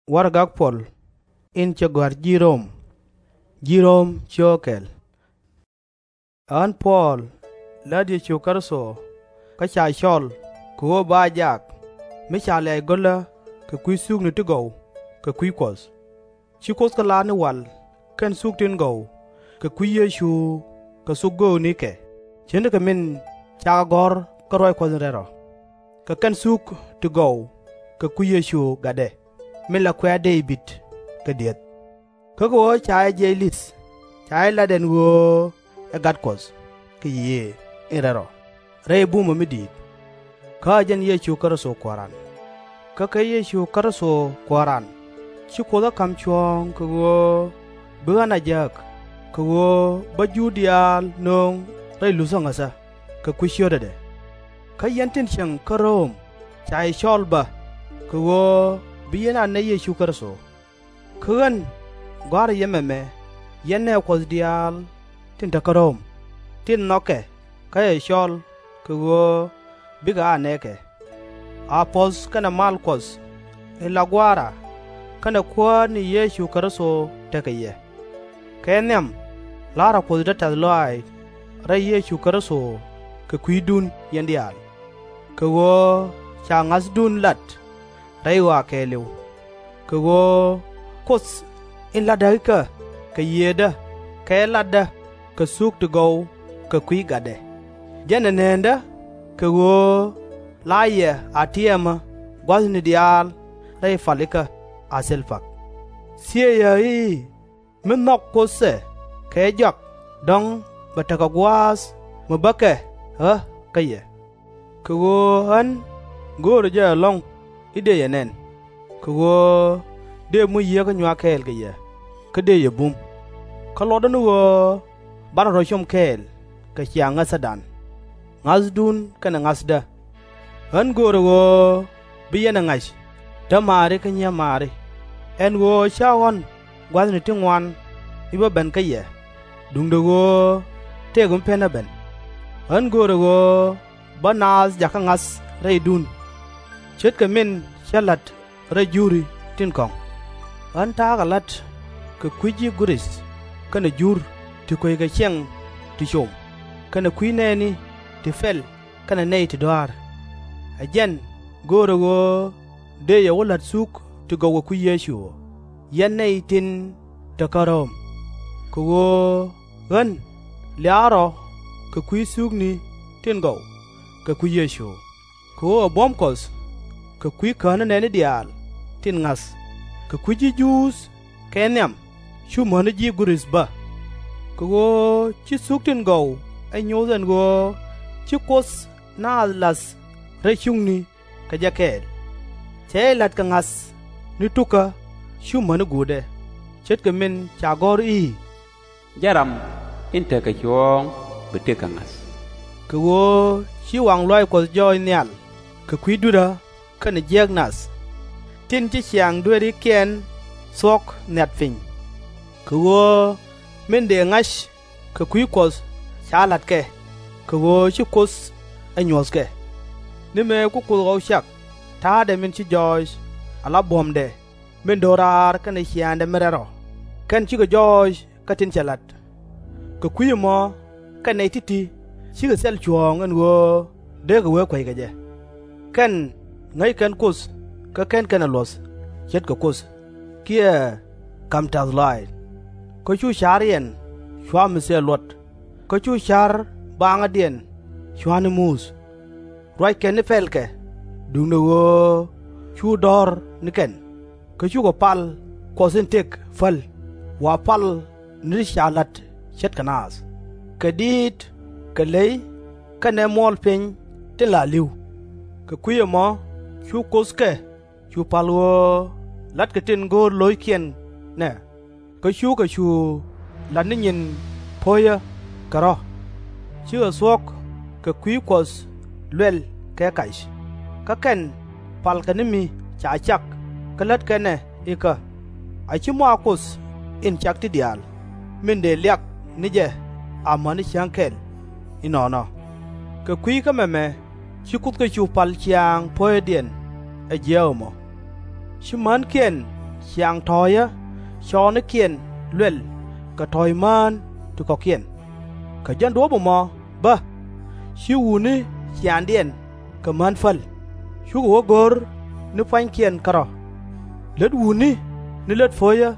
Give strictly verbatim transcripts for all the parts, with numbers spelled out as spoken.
Warɛgak Puɔl in cɛ gɔ̱a̱r ji̱ Rom. Ji̱ Rom cio̱o̱k kɛl. Ɣän Puɔl, lät Yecu Kritho, kä ca cɔl kɛ ɣöö ba jak, mi ca lɛ̈ɛ̈c go̱lä kɛ kui̱ thukni ti gɔw kɛ kui̱ Kuɔth. Ci Kuoth kɛ lar ni wal kɛn thuk tin gɔw kɛ kui̱ Yecu kɛ thok göökni kɛ, ce̱tnikɛ min cakɛ gɔ̱r kä ruac Kuɔth in rɛl rɔ. Kɛ kɛn thuk ti gɔw kɛ kui̱ Yecu Gatdɛ, min la kuɛ̈ɛ̈ Dee-bid kɛ di̱eth. Kä kɛ ɣöö ca jɛ jiɛc li̱th, ca jɛ lat ɛn ɣöö ɛ Gat Kuɔth kɛ Yiëë in Rɛl Rɔ, rɛy bumä mi di̱i̱t. Kä ɛ jɛn Yecu Kritho Kuääran. Kä kɛ Yecu Kritho Kuääran ci Kuoth ɣä ka̱m cuɔ̱ɔ̱ŋ kɛ ɣöö bi ɣän a jääk, kɛ ɣöö bä Juudh diaal nööŋ rɛy luthä ŋäthä kɛ kui̱ cio̱tädɛ. Kä yɛn tin cieŋ kä Rom, ca yɛ cɔl bä, kɛ ɣöö bi yɛn a nɛy Yecu Kritho. Kä ɣän gɔ̱a̱rä yɛ mɛmɛ, yɛn nɛɛ Kuɔth diaal tin te kä Rom, tin nhɔkɛ kä cɛ cɔl kɛ ɣöö bikɛ a nɛɛkɛ. A puɔ̱th kɛnɛ mal Kuɔth in la Gua̱a̱ra kɛnɛ Kuäär ni Yecu Kritho tekɛ yɛ. Kɛ nhiam la̱rä Kuoth dee tɛ̈th lɔaac rɛy Yecu Kritho kɛ kui̱dun yɛn diaal, kɛ ɣöö ca ŋa̱thdun lat rɛy ɣɔaa kɛɛliw. Kɛ ɣöö Kuoth in la̱tdä ikä kɛ Yiëëdä kɛ latdä kɛ thuk ti gɔw kɛ kui̱ Gatdɛ, jɛn ɛ näändä, kɛ ɣöö la yɛ a tiɛmä gua̱thni diaal rɛy pal ikä a thil pak. Thiëcä i̱, mi nhɔk Kuoth ɛ kɛ jɔak, dɔ̱ŋ bɛ tekɛ gua̱a̱th mi bäkɛ ɣä kä yɛ. Kɛ ɣöö ɣän göörä jɛ ɛlɔ̱ŋ i̱ dëë yɛ nɛn, kɛ ɣöö dëë muc Yiëë kä nyuak kɛɛl kɛ yɛ, kä dëë yɛ bum. Kä luɔtdä ni ɣöö banɛ rɔ com kɛɛl kɛ ciaŋ ŋäthädan, ŋa̱thdun kɛnɛ ŋa̱thdä. Ɣän göörä ɣöö bi yɛn ɛ ŋa̱c, dämaari kä nyimaari, ɛn ɣöö /cä ɣɔ̱n gua̱thni ti ŋuan mi bä ben kä yɛ, duundɛ ɣöö tëëkɛ mi pen ɣä ben. Ɣän göörä ɣöö bä naath jakä ŋa̱th rɛydun, ce̱tkɛ min cä la̱t rɛy Juuri tin kɔ̱ŋ. Ɣän ta̱a̱ kɛ la̱t kɛ kui̱ ji̱ Gurith kɛnɛ Jur ti kueckɛ ciɛŋ ti com, kɛnɛ kui̱ nɛɛni ti pɛl kɛnɛ nɛy ti dɔa̱a̱r. Ɛ jɛn göörä ɣöö dëë yɛ wä la̱t thuk ti gɔw kɛ kui̱ Yecu, yɛn nɛy tin te kä Rom. Kɛ ɣöö ɣän lia̱a̱ rɔ kɛ kui̱ thukni tin gɔw kɛ kui̱ Yecu, kɛ ɣöö ɛ buɔ̱m Kuɔth kɛ kui̱ känä nɛɛni diaal tin ŋa̱th, kɛ kui̱ ji̱ Juudh kɛ nhiam cu mäni ji̱ Gurith bä. Kɛ ɣöö ci thuk tin gɔw ɛ nyoth ɛn ɣöö ci Kuoth naath la̱th rɛy cuŋni kɛ jɛ kɛɛl. Cɛ jɛ la̱t kɛ ŋa̱th ni tukä cu mäni guutdɛ, ce̱tkɛ min ca gɔ̱r i̱, Jɛn ram in tekɛ cuɔ̱ɔ̱ŋ bi tëk kɛ ŋa̱th. Kɛ ɣöö ci waŋ lɔaac Kuɔth jɔɔc nhial kɛ kui̱ dui̱rä kɛnɛ jiääk nath, tin ci ciaŋ dueerikiɛn thuɔ̱k nhiat piny. Kɛ ɣöö min dëë ŋa̱c kɛ kui̱ Kuɔth ca la̱t kɛ, kɛ ɣöö ci Kuoth ɛ nyuɔ̱th kɛ. Ni mëë ku Kuoth ɣɔw cak ta̱a̱dɛ min ci jɔɔc ala buɔ̱mdɛ min do̱raar kɛnɛ ciaaŋdɛ min rɛl rɔ, kɛn cikɛ jɔɔc kä tin cɛ la̱t. Kɛ kui̱ ɛmɔ kɛn nɛy ti̱ti̱ cikɛ thil cuɔ̱ɔ̱ŋ ɛn ɣöö dee kɛ wee kueckɛ jɛ. Kɛn ŋäc kɛn Kuoth kä /ken kɛn ɛ luɔ̱th ce̱tkɛ Kuoth, kiɛ ka̱m tɛ̈th lɔaac. Kä cu ca̱riɛn cua̱ mi thil luɔt, kä cu ca̱r baaŋädiɛn cua̱ ni muth. Ruac kɛn ni pɛlkɛ, duundɛ ɣöö cu dɔ̱r ni kɛn, kä cukɛ pal Kuɔth in tëk päl, wa pal ni ti ca la̱t ce̱tkɛ naath, kɛ diit, kɛ ley, kɛnɛ muɔɔl piny tin la li̱w. Kɛ kui̱ ɛmɔ cu Kuoth kɛ cu pa̱l ɣöö la̱tkɛ tin go̱o̱r lo̱ckiɛn nɛ, kä cukɛ cu la̱t ni nyin puɔ̱cä kɛ rɔ̱. Cikɛ thuɔ̱k kɛ kui̱ Kuɔth luɛl kɛ kac, kä kɛn palkɛ ni mi ca cak kä lätkɛ nɛ ikä, a /ci mɔaa Kuoth in cak ti diaal, min dëë liak ni jɛ amäni cäŋ kɛl. Inɔnɔ. Kɛ kui̱ kä mɛmɛ ci Kuoth kɛ cu pal ciaaŋ puɔ̱cädiɛn ɛ jiääk ɛmɔ. Ci mänkiɛn ciaŋ tɔ̱ɔ̱cä cɔɔnikiɛn luɛl kɛ tɔ̱ɔ̱c mään ti kɔ̱kiɛn. Kɛ jɛn duɔ̱ɔ̱p ɛmɔ bä, ci wutni ciaaŋdiɛn kɛ män päl, cukɛ wä go̱r ni pua̱nykiɛn kärɔ̱. Lät wutni ni lät puɔ̱cä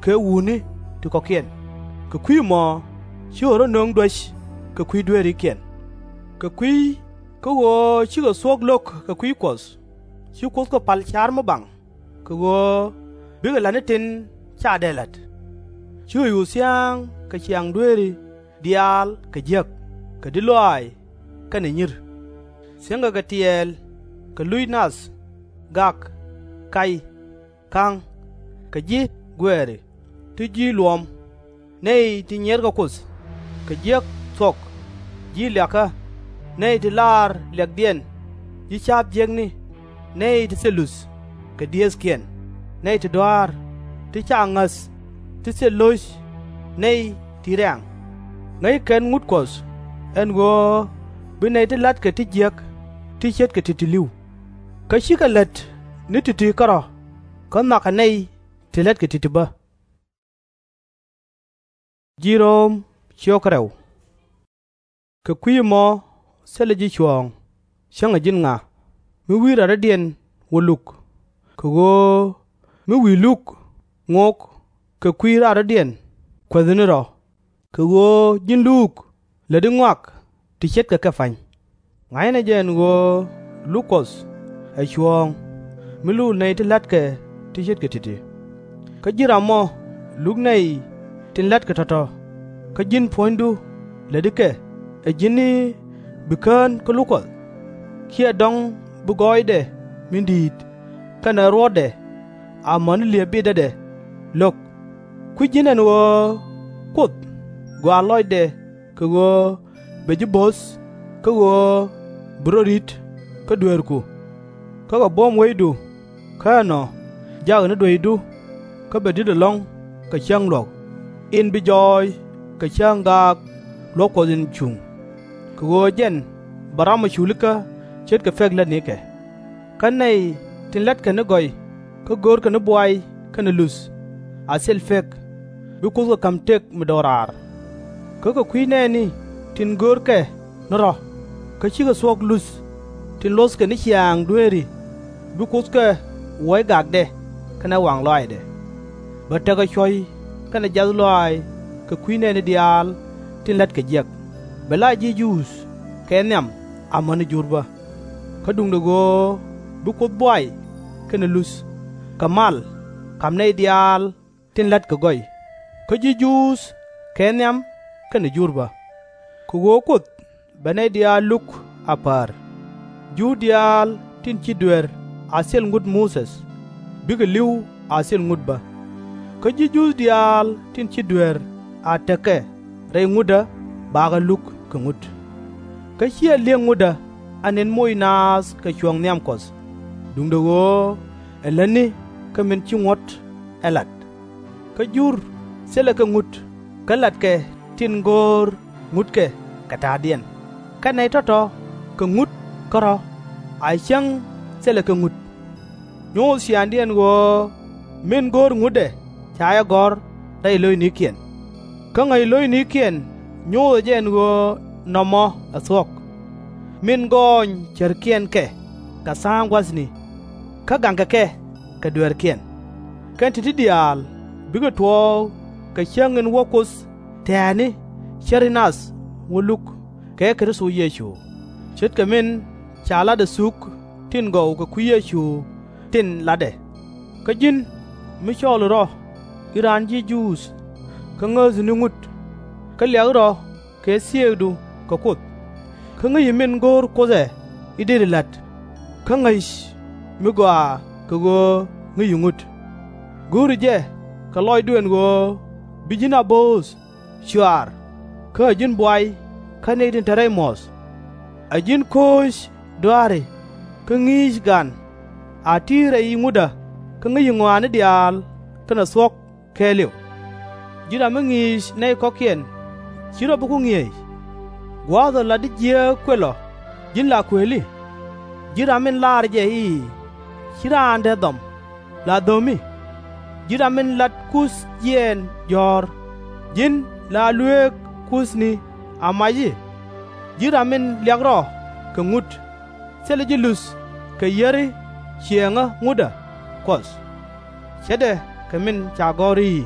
kɛ wutni ti kɔ̱kiɛn, kɛ kui̱ ɛmɔ cikɛ rɔ̱ nöŋ duäc kɛ kui̱ dueerikiɛn. Kɛ kui̱ kä ɣöö cikɛ thuɔ̱k lo̱k kɛ kui̱ Kuɔth, ci Kuoth kɛ pal ca̱r mi baŋ, kɛ ɣöö bikɛ la̱t ni tin ca dee la̱t. Ci ɣɔ̱c ɣöö thia̱a̱ŋ kɛ ciaŋ dueeri diaal kɛ jiäk, kɛ di̱t lɔaac kɛnɛ nyi̱r. Thiäŋkɛ kɛ tiɛɛl, kɛ luc nath, gak, kac, ka̱ŋ, kɛ ji̱ guɛɛri, ti ji̱ luɔ̱ɔ̱m, nɛy ti nyiɛrkɛ Kuoth, kɛ jiäk thuɔ̱k, ji̱ liakä, nɛy ti lar liakdiɛn, ji̱ ca̱a̱p jiäkni, nɛy ti thil luth kɛ diëëthkiɛn, nɛy ti dɔa̱a̱r, ti ca ŋäth, ti thil lo̱c, nɛy ti rɛ̈ɛ̈ŋ. Ŋäc kɛn ŋut Kuɔth ɛn ɣöö bi nɛy ti la̱tkɛ ti jiäk ti ce̱tkɛ ti̱ti̱ li̱w. Kä cikɛ lät ni ti̱ti̱ kärɔ̱, kä nhɔakɛ nɛy ti la̱tkɛ ti̱ti̱ bä. Kɛ kui̱ ɛmɔ, thilɛ ji̱ cuɔ̱ɔ̱ŋ, cäŋɛ ji̱n ŋa, mi wi̱i̱ raaridiɛn wä luk, kɛ ɣöö mi wi̱i̱ luk ŋok kɛ kui̱ raaridiɛn kueethɛ ni rɔ̱, kɛ ɣöö ji̱n luuk läti ŋɔak ti ce̱tkɛ kɛ pa̱ny. Ŋa̱cnɛ jɛ ɛn ɣöö luk Kuɔth ɛ cuɔ̱ɔ̱ŋ, mi luk nɛy ti la̱tkɛ ti ce̱tkɛ ti̱ti̱. Kä ji̱n ram mɔ luk nɛy tin la̱tkɛ tɔ̱tɔ̱, kä ji̱n puɔ̱nydu läti kɛ ɛ ji̱n i̱ bi kään kä luk Kuɔth? /Ciɛ dɔ̱ŋ bi gɔɔydɛ min di̱i̱t kɛnɛ ruɔ̱tdɛ amäni liep bitdädɛ lo̱k? Kui̱c ji̱n ɛn ɣöö Kuoth gɔaa lɔcdɛ kɛ ɣöö bɛ ji̱ bo̱th kä ɣöö bi rɔ ri̱t kä dueerku. Kä kɛ buɔ̱m wecdu, kä ɛnɔ jakɛ ni dueecdu, kä bɛ di̱t ɛlɔ̱ŋ kɛ cäŋ luɔ̱k, in bi jɔɔc kɛ cäŋ gaak luɔ̱k Kuɔth in cuŋ, kɛ ɣöö jɛn bɛ ram ɛ culikä ce̱tkɛ pek lätnikɛ. Kä nɛy tin la̱tkɛ ni gɔy kä görkɛ ni buay kɛnɛ luth a thil pek, bi Kuoth kɛ ka̱m tëk mi do̱raar. Kä kɛ kui̱ nɛɛni tin görkɛ ni rɔ̱, kä cikɛ thuɔ̱k luth tin luɔ̱thkɛ ni ciaŋ dueeri, bi Kuoth kɛ wuɔc gakdɛ kɛnɛ waŋ lɔaacdɛ. Bɛ tekɛ cuɔ̱c kɛnɛ jiath lɔaac kɛ kui̱ nɛɛni diaal tin la̱tkɛ jiäk, bɛ la ji̱ Juudh kɛ nhiam amäni Jur bä. Kä duundɛ ɣöö bi Kuoth buay kɛnɛ luth kɛ mal ka̱m nɛy diaal tin la̱tkɛ gɔy, kä ji̱ Juudh kɛ nhiam kɛnɛ Jur bä. Kɛ ɣöö Kuoth bɛ nɛy diaal luk a päär, Juudh diaal tin ci dueer a thil ŋut Muthɛ bikɛ li̱w a thil ŋut bä, kä ji̱ Juudh diaal tin ci dueer a tekɛ rɛy ŋutdä bakɛ luk kɛ ŋut. Kä /ciɛ li̱eŋ ŋutdä a nɛn moc naath kɛ cuɔ̱ɔ̱ŋ nhiam Kuɔth, duundɛ ɣöö ɛ lätni kä min ci ŋuɔ̱t ɛ lat. Kä Jur thilɛ kɛ ŋut kä latkɛ tin go̱o̱r ŋutkɛ kɛ ta̱a̱diɛn, kä nɛy tɔ̱tɔ̱ kɛ ŋut kärɔ̱ a cäŋ thilɛ kɛ ŋut. Nyoth ciaaŋdiɛn ɣöö min go̱o̱r ŋutdɛ ca jɛ gɔ̱r rɛy lo̱cnikiɛn. Kä ŋäc lo̱cnikiɛn nyothɛ jɛ ɛn ɣöö nɔmɔ ɛ thuɔ̱k. Min gɔɔny cärkiɛn kɛ kɛ tha̱a̱ŋ gua̱thni, kä gaŋkɛ kɛ kɛ dueerkiɛn. Kɛn ti̱ti̱ diaal bikɛ tuɔɔk kɛ cäŋ in wä Kuoth tɛ̱̈ɛ̱̈ni cäri nath wä luk kɛ Kritho Yecu, ce̱tkɛ min ca latdɛ thuk tin gɔw kɛ kui̱ Yecu tin latdɛ. Kä ji̱n mi cɔɔli rɔ i̱ raan ji̱ Juudh, kä ŋäthi ni ŋut, kä liak rɔ kɛ thieekdu kɛ Kuoth, kä ŋäci min go̱o̱r Kuoth ɛ i̱ deri la̱t, kä ŋäc mi gɔaa kɛ ɣöö ŋäci ŋut. Go̱o̱ri jɛ kɛ lɔcdu ɛn ɣöö bi ji̱n a bööth cɔaar, kä ɛ ji̱n buay kä nɛy tin te rɛy muɔ̱th. Ɛ ji̱n kooc dɔ̱a̱ri kä ŋi̱i̱c gan, a ti̱i̱ rɛy ŋutdä kä ŋäci ŋɔaani diaal kɛnɛ thuɔ̱k kɛɛliw. Ji̱n ram mi ŋi̱i̱c nɛy kɔ̱kiɛn, /ci rɔ bi ku ŋi̱eec? Gua̱a̱th ɔ la di jiääk kuël ɔ, ji̱n la kuëëli? Ji̱n ram min lar jɛ i̱, /ci raan dee dhɔm, la dho̱mi? Ji̱n ram min lat Kuoth jiɛɛn jɔ̱ɔ̱r, ji̱n la luëëk Kuothni a mac i̱, ji̱n ram min liak rɔ kɛ ŋut, thilɛ ji̱ luth kɛ yiëri ciëëŋä ŋutdä Kuɔth. Ce̱tdɛ kɛ min ca gɔ̱r i̱,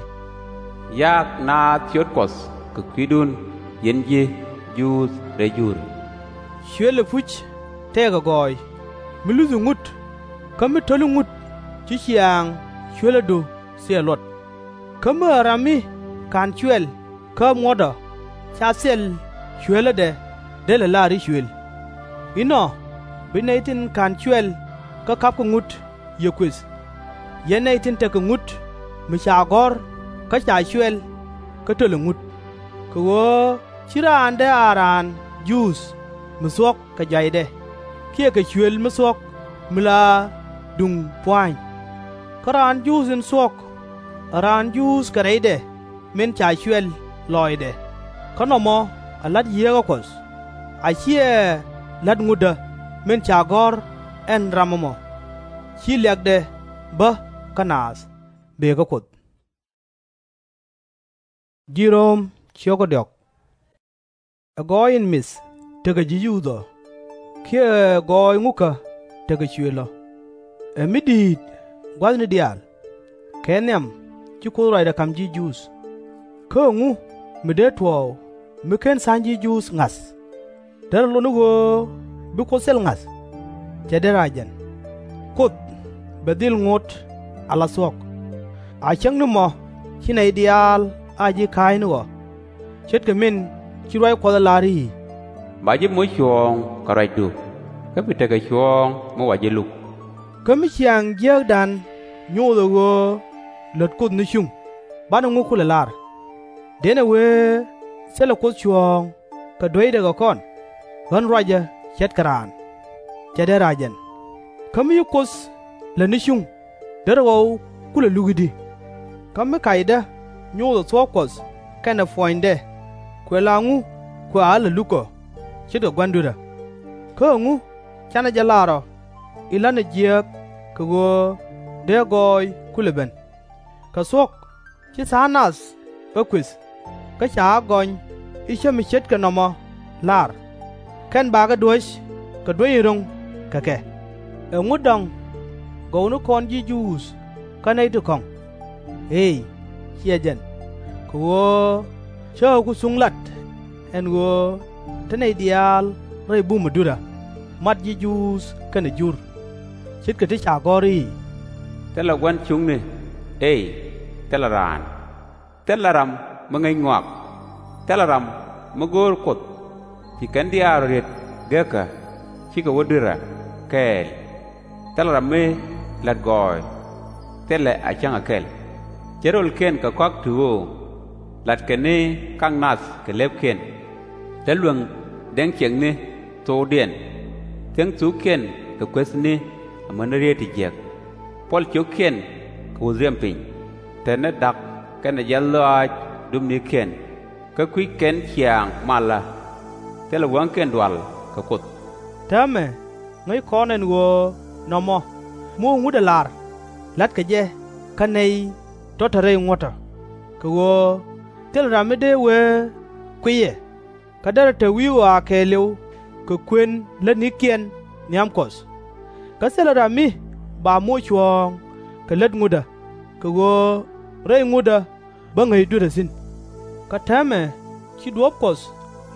Ya̱a̱k naath ciöt Kuɔth kɛ kui̱dun, yɛn ji̱ Juudh rɛy Jur. Cuël ɛpuc tëëkɛ gɔɔy, mi luthi ŋut, kä mi to̱li ŋut ci ciaaŋ cuëlädu thil luɔt. Kä mi ɛ ram mi /ka̱n cuɛl kä muɔ̱tdɔ, /ca thil cuelädɛ dee lɛ la̱r i̱ cuël. Inɔ bi nɛy tin /ka̱n cuɛl kä ka̱pkɛ ŋut yɛ kuëth, yɛn nɛy tin tekɛ ŋut mi ca gɔ̱r kä ca cuɛl kä tölɛ ŋut. Kɛ ɣöö /ci raan dee a raan Juudh mi thuɔ̱k kɛ jɔacdɛ kiɛ kɛ cuël mi thuɔ̱k mi la duŋ pua̱a̱ny. Kä raan Juudh in thuɔ̱k ɛ raan Juudh kɛ rɛydɛ min ca cuɛl lɔɔcdɛ, kä nɔmɔ ɛ la̱t Yieekä Kuɔth, a /ciɛ la̱t ŋutdä min ca gɔ̱r ɛn ram ɛmɔ. Ci liakdɛ bä kä naath, bëë kä Kuoth. Ɛ gɔɔy in mith tekɛ ji̱ Juudh ɔ, kiɛ ɛ gɔɔy ŋukä tekɛ cuël ɔ? Ɛ mi di̱i̱t gua̱thni diaal? Kɛ nhiam ci Kuoth ruacdɛ ka̱m ji̱ Juudh. Kä ɛŋu mi dee tuɔɔk mi /ken tha̱a̱ŋ ji̱ Juudh ŋa̱th? Derɛ lot ni ɣöö bi Kuoth thil ŋa̱th? /Cɛ derɛ a jɛn. Kuoth bɛ dhil ŋot ala thuɔ̱k. A cäŋ ni mɔ ci nɛy diaal a ji̱ ka̱a̱cni ɣɔ̱, ce̱tkɛ min ci ruac Kuɔth ɛ lar i̱, Ba ji̱ moc cuɔ̱ɔ̱ŋ kɛ ruacdu, kä bi tekɛ cuɔ̱ɔ̱ŋ mi wa ji̱ luk. Kä mi ciaŋ jiääkdan nyothɛ ɣöö lät Kuoth ni cuŋ, banɛ ŋu kulɛ lar? Dënɛ wëë thilɛ Kuoth cuɔ̱ɔ̱ŋ kɛ dueydɛ kɛ kɔn, ɣän ruacä ce̱tkɛ raan? /Cɛ derɛ a jɛn. Kä mi ci Kuoth lät ni cuŋ, derɛ ɣɔw kulɛ luk i̱di? Kä mi kacdä nyothɛ thuɔ̱k Kuɔth kɛnɛ puɔ̱nydɛ, kuɛ la ŋu kua lɛ luk ɔ ce̱tkɛ Gua̱ndurä? Kä ɛŋu /canɛ jɛ lar ɔ in la̱tnɛ jiääk kɛ ɣöö dee gɔɔy kulɛ ben? Kɛ thuɔ̱k, ci tha̱a̱ŋ nath ɣä kuëth, kä ca ɣä gɔny i̱ cä mi ce̱tkɛ nɔmɔ lar, kɛn bakɛ duäc kɛ duäc in ro̱ŋ kɛ kɛ. Ɛŋu dɔŋ gɔw ni kɔn ji̱ Juudh kä nɛy ti kɔ̱ŋ? Eey, /ciɛ jɛn. Kɛ ɣöö cä ɣä ku thuŋ lat ɛn ɣöö te nɛy diaal rɛy bumä dui̱rä, mat ji̱ Juudh kɛnɛ Jur, ce̱tkɛ ti ca gɔ̱r i̱, Thilɛ gua̱n cuŋni, ëë thilɛ raan, thilɛ ram mi ŋäc ŋɔak, thilɛ ram mi go̱o̱r Kuoth. Ci kɛn diaal rɔ riet gekä, /cikɛ wä dui̱rä kɛɛl. Thilɛ ram mi la̱t gɔɔy, thilɛ a cäŋ a kɛl. Ce̱t rölkiɛn kɛ kɔak ti ɣöö la̱tkɛ ni ka̱k nath kɛ lëpkiɛn. Te luäŋ dɛŋ ciɛŋni thokdiɛn. Thiäŋ thukkiɛn kɛ kuethni amäni rieet ti jiäk. Puɔl ciökkiɛn kɛ wuɔ̱th riɛm piny. Te ni da̱k kɛnɛ jiath lɔaac dup ni̱i̱kiɛn, kä kui̱c kɛn ciaŋ malä. Thilɛ wäŋkiɛn dual kɛ Kuoth. Täämɛ ŋäc kɔn ɛn ɣöö nɔmɔ mi wä ŋutdä lar, la̱tkɛ jɛ kä nɛy tɔ̱ te rɛy ŋuɔ̱tdä. Kɛ ɣöö thilɛ ram mi dee wee kuiyɛ, kä derɛ te wi̱i̱ ɣɔaa kɛɛliw kɛ kuën lätnikiɛn nhiam Kuɔth. Kä thilɛ ram mi ba moc cuɔ̱ɔ̱ŋ kɛ lät ŋutdä, kɛ ɣöö rɛy ŋutdä bä ŋäc dui̱rä thi̱n. Kä täämɛ ci duɔ̱ɔ̱p Kuɔth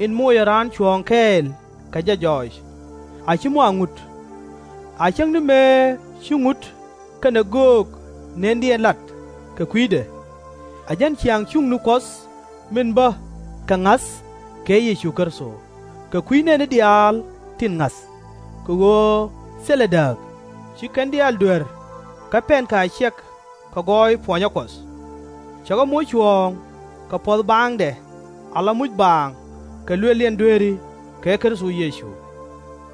in mocɛ raan cuɔ̱ɔ̱ŋ kɛɛl kɛ jɛ jɔɔc, a /ci mɔ a ŋut. A cäŋ ni mëë ci ŋut kɛnɛ göök nëndiɛn lat kɛ kui̱dɛ, ɛ jɛn ciaŋ cuŋni Kuɔth min bä kɛ ŋa̱th kɛ Yecu Kritho kɛ kui̱ nɛɛni diaal tin ŋa̱th. Kɛ ɣöö thilɛ dääk, ci kɛn diaal duer kä pɛnkɛ a ciɛk kɛ gɔɔy puɔnyä Kuɔth. Cɛ kɛ moc cuɔ̱ɔ̱ŋ kɛ puɔ̱th baaŋdɛ ala muc baaŋ kɛ luël yɛn dueeri kɛ Kritho Yecu.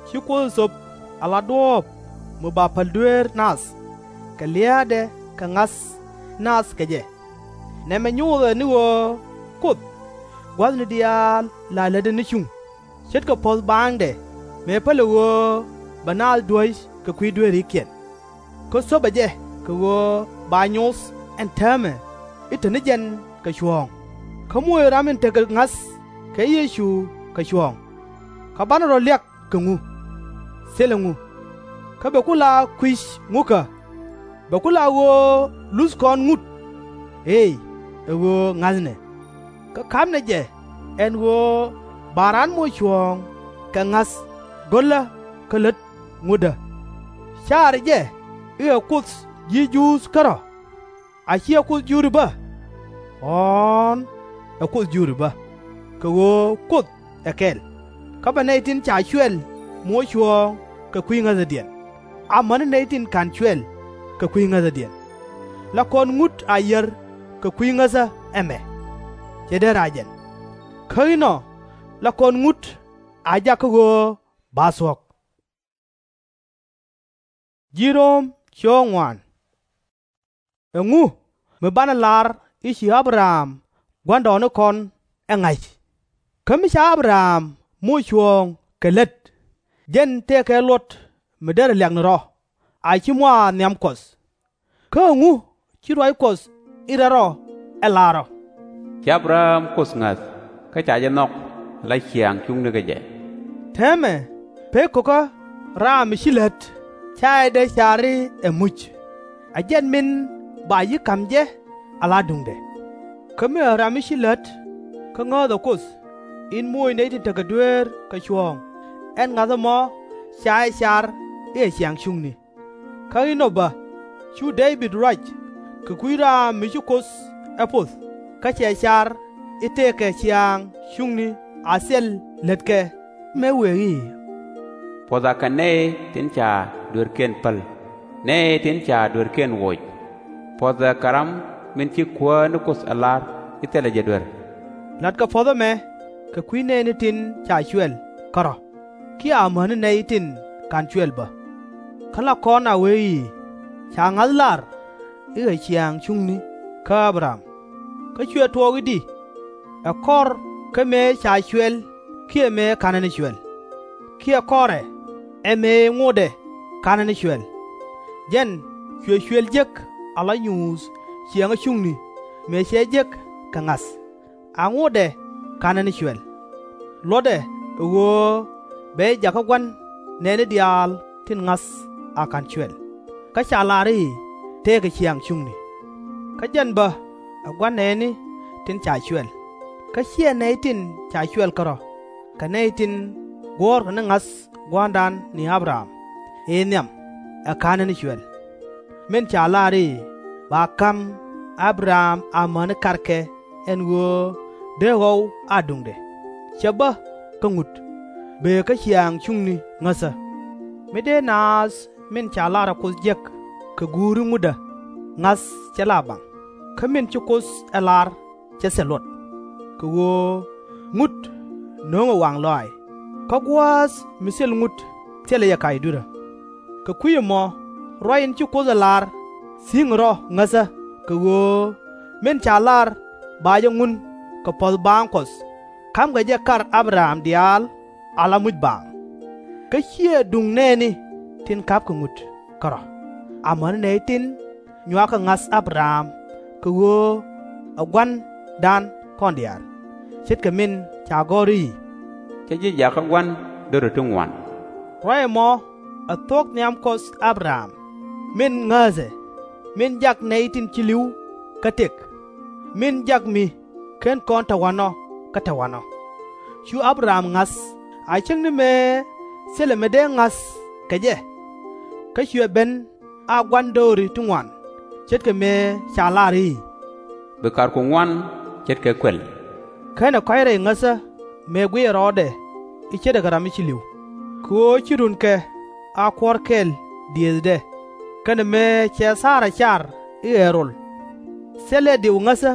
Ci Kuoth ɛ thöp ala duɔ̱ɔ̱p mi ba päl dueer nath, kɛ lia̱a̱dɛ kɛ ŋa̱th nath kɛ jɛ. Nɛmɛ nyothɛ ni ɣöö Kuoth gua̱thni diaal la lätdɛ ni cuŋ, ce̱tkɛ puɔ̱th baaŋdɛ mëë pälɛ ɣöö bɛ naath duäc kɛ kui̱ dueerikiɛn. Kä thöpɛ jɛ kɛ ɣöö ba nyoth ɛn täämɛ i̱ te ni jɛn kɛ cuɔ̱ɔ̱ŋ, kä moc ram in tekɛ ŋa̱th kɛ Yecu kɛ cuɔ̱ɔ̱ŋ. Kä banɛ rɔ liak kɛ ŋu? Thilɛ ŋu. Kä bɛ ku la kui̱c ŋukä? Bɛ ku la ɣöö luth kɔn ŋut? Eey, ɛ ɣöö ŋa̱thnɛ. Kä ka̱pnɛ jɛ ɛn ɣöö ba raan moc cuɔ̱ɔ̱ŋ kɛ ŋa̱th go̱lä kä lät ŋutdä. Caarɛ jɛ i̱ ɛ Kuoth ji̱ Juudh kärɔ̱? A /ciɛ Kuoth Juudi bä? Ɣɔ̱ɔ̱n, ɛ Kuoth Juudi bä, kɛ ɣöö Kuoth ɛ kɛl. Kä bɛ nɛy tin ca cuɛl moc cuɔ̱ɔ̱ŋ kɛ kui̱ ŋäthädiɛn, amäni nɛy tin /ka̱n cuɛl kɛ kui̱ ŋäthädiɛn. La kɔn ŋut a yiär kɛ kui̱ ŋäthä ɛmɛ? /Cɛ dee rac ɛn. Kä inɔ la kɔn ŋut a jak kä ɣöö ba thuɔ̱k. Ɛŋu mi banɛ lar i̱ ci Abraham gua̱ndɔɔŋnikɔn ɛ ŋa̱c? Kä mi ca Abraham moc cuɔ̱ɔ̱ŋ kɛ lät, jɛn tëëkɛ luɔt mi derɛ liak ni rɔ, a /ci mɔ a nhiam Kuɔth. Kä ɛŋu ci ruac Kuɔth in rɛl rɔ ɛ lar ɔ, Ci Abraham Kuoth ŋa̱th, kä ca jɛ nhɔk ala ciaŋ cuŋni kä jɛ? Täämɛ pek ko̱kä ram mi ci lät /ca jɛ dee car i̱ ɛ muc, ɛ jɛn min ba ji̱ ka̱m jɛ ala duŋdɛ. Kä mi ɛ ram mi ci lät, kä ŋääthɛ Kuoth in moc nɛy tin tekɛ dueer kɛ cuɔ̱ɔ̱ŋ, ɛn ŋa̱th ɛmɔ ca jɛ car i̱ ɛ ciaŋ cuŋni. Kä inɔ bä cu Dee-bid ruac kɛ kui̱ ram mi ci Kuoth ɛ poth, kä cɛ car i̱ tëëkɛ ciaŋ cuŋni a thil lätkɛ, mëë wëë i̱, Puɔ̱th akɛ nɛy tin ca dueerkiɛn päl, nɛy tin ca dueerkiɛn woc. Puɔ̱th ɛ kɛ ram min ci Kuäär ni Kuoth ɛ lar i̱ thilɛ jɛ duer. Latkɛ puɔ̱th ɛmɛ kɛ kui̱ nɛɛni tin ca cuɛl kärɔ̱, kiɛ amäni nɛy tin /ka̱n cuɛl bä. Kä la kɔn a wee i̱, Ca ŋa̱th lar i̱ ɛ ciaŋ cuŋni kä Abraham. Kä cuɛ tuɔɔk i̱di? Ɛ kɔr kä mëë ca cuɛl kiɛ mëë /ka̱nɛ ni cuɛl? Kiɛ kɔrɛ ɛ mëë ŋotdɛ /ka̱nɛ ni cuɛl? Jɛn cuɛ cuël jek ala nyuuth ciɛŋä cuŋni mëë cɛ jek kɛ ŋa̱th, a ŋotdɛ /ka̱nɛ ni cuɛl. Luɔtdɛ ɛ ɣöö bɛ jɛ jak kä gua̱n nɛɛni diaal tin ŋa̱th a /ka̱n cuɛl, kä ca lar i̱ tëëkɛ ciaŋ cuŋni. Kä jɛn bä ɛ gua̱n nɛɛni tin ca cuɛl, kä /ciɛ nɛy tin ca cuɛl kärɔ̱, kɛ nɛy tin guɔ̱ɔ̱rkɛ ni ŋa̱th gua̱a̱ŋdan ni Abraham ëë nhiam ɛ /ka̱nɛ ni cuɛl. Min ca lar i̱, Ba ka̱m Abraham amäni karkɛ, ɛn ɣöö dee ɣɔw a duŋdɛ, /cɛ bä kä ŋut, bëë kä ciaŋ cuŋni ŋäthä. Mi dee naath min ca lar ɛ Kuoth jek kɛ guuri ŋutdä, ŋa̱th /cɛ la baŋ, kä min ci Kuoth ɛ lar /cɛ thil luɔt. Kɛ ɣöö ŋut no̱o̱ŋɛ waŋ lɔaac, kä gua̱a̱th mi thil ŋut thilɛ jɛ kac dui̱rä. Kɛ kui̱ ɛmɔ ruac in ci Kuoth ɛ lar thi̱i̱ŋ rɔ ŋäthä, kɛ ɣöö min ca lar ba jɛ ŋun kɛ puɔ̱th baaŋ Kuɔth, ka̱mkɛ jɛ kar Abraham diaal ala muc baaŋ. Kä /ciɛ duŋ nɛɛni tin ka̱pkɛ ŋut kärɔ̱, amäni nɛy tin nyuakɛ ŋa̱th Abraham kɛ ɣöö ɛ gua̱ndan kɔn diaal, ce̱tkɛ min ca gɔ̱r i̱, Cä ji̱ jak kä gua̱n do̱ri ti ŋuan. Ruac ɛmɔ ɛ thuɔ̱k nhiam Kuɔth Abraham, min ŋääthɛ, min jak nɛy tin ci li̱w kä tëk, min jak mi /ken kɔn tɛ̈wanɔ kä tɛ̈wanɔ. Cu Abraham ŋa̱th a cäŋ ni mëë thilɛ mi dee ŋa̱th kɛ jɛ, kä cuɛ ben a gua̱n do̱ri ti ŋuan, ce̱tkɛ mëë ca lar i̱, Bi karku ŋuan ce̱tkɛ kuɛl. Känɛ kɔ̱a̱c rɛy ŋäthä mëë guiɛɛr rɔɔdɛ i̱ ce̱tdɛ kɛ ram mi ci li̱w, kɛ ɣöö ci runkɛ a kuɔ̱r kɛl diëëthdɛ, kɛnɛ mëë cɛ thaarɛ car i̱ ɛ rol. Thilɛ diw ŋäthä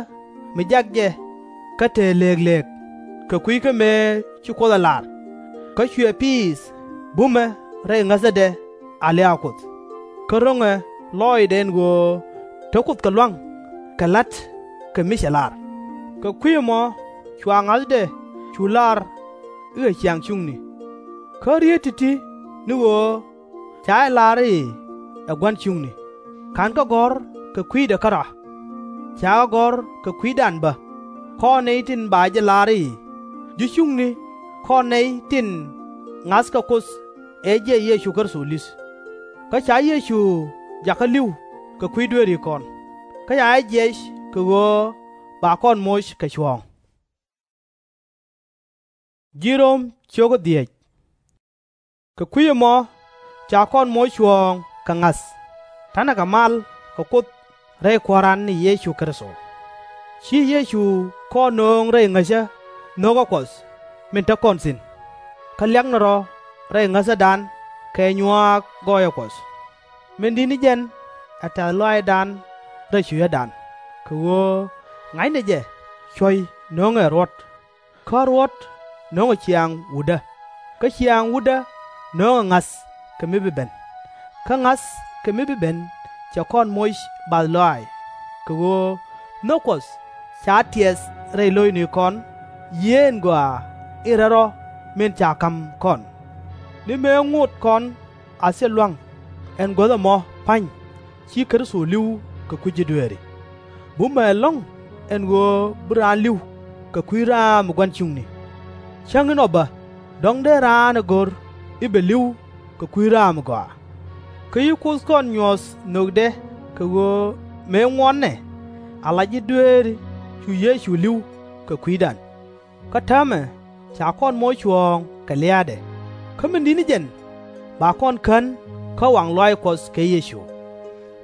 mi jak jɛ kä te lëëklëëk, kɛ kui̱ kä mëë ci Kuoth ɛ lar, kä cuɛ piith bumɛ rɛy ŋäthädɛ a liak Kuoth, kä ro̱ŋɛ lɔɔcdɛ ɛn ɣöö te Kuoth kɛ lua̱ŋ kɛ la̱t kɛ mi cɛ lar. Kɛ kui̱ ɛmɔ cua ŋa̱thdɛ cu lar i̱ ɛ ciaŋ cuŋni. Kä rieet ti̱ti̱ ni ɣöö ca jɛ lar i̱ ɛ gua̱n cuŋni, /ka̱nkɛ gɔ̱r kɛ kui̱dɛ kärɔa. Ca ɣä gɔ̱r kɛ kui̱dan bä, kɔn nɛy tin ba jɛ lar i̱, ji̱ cuŋni kɔn nɛy tin ŋa̱thkɛ Kuoth ɛ jiɛc Yecu Kritho li̱th. Kä ca Yecu jakä li̱w kɛ kui̱ dueerikɔn, kä ca jɛ jiɛc kɛ ɣöö ba kɔn moc kɛ cuɔ̱ɔ̱ŋ. Kɛ kui̱ ɛmɔ ca kɔn moc cuɔ̱ɔ̱ŋ kɛ ŋa̱th, ta̱nɛ kɛ mal kɛ Kuoth rɛy Kua̱ran ni Yecu Kritho. Ci Yecu kɔn nööŋ rɛy ŋäcä nho̱kä Kuɔth min te kɔn thi̱n, kä liaknɛ rɔ̱ rɛy ŋäthädan kɛ nyuaak gɔɔyä Kuɔth. Min di̱t ni jɛn ɛ tɛ̈th lɔaacdan rɛy cucädan, kɛ ɣöö ŋa̱cnɛ jɛ cuɔ̱c no̱o̱ŋɛ ruɔ̱t, kä ruɔ̱t no̱o̱ŋɛ ciaŋ wutdä, kä ciaŋ wutdä no̱o̱ŋɛ ŋa̱th kɛ mi bi ben. Kä ŋa̱th kɛ mi bi ben cɛ kɔn moc bath lɔaac, kɛ ɣöö nhök Kuɔth ca tiɛth rɛy lo̱cnikɔn, yieen gɔaa in rɛl rɔ min ca ka̱m kɔn. Ni mëë ŋot kɔn a thil lua̱ŋ ɛn guäth ɛmɔ pa̱ny, ci Kritho li̱w kɛ kui̱ ji̱ dueeri. Bumɛ ɛlɔ̱ŋ ɛn ɣöö bi raan li̱w kɛ kui̱ raam mi gua̱n cuŋni. Cäŋ inɔ bä, dɔ̱ŋ dee raan ɛ go̱r i̱ bɛ li̱w kɛ kui̱ raam mi gɔaa. Kä ci Kuoth kɔn nyuɔ̱th nhökdɛ, kɛ ɣöö mëë ŋuɔ̱tnɛ ala ji̱ dueeri cu Yecu li̱w kɛ kui̱dan. Kä täämɛ ca kɔn moc cuɔ̱ɔ̱ŋ kɛ lia̱a̱dɛ. Kä min di̱t ni jɛn ba kɔn kän kä waŋ lɔaac Kuɔth kɛ Yecu.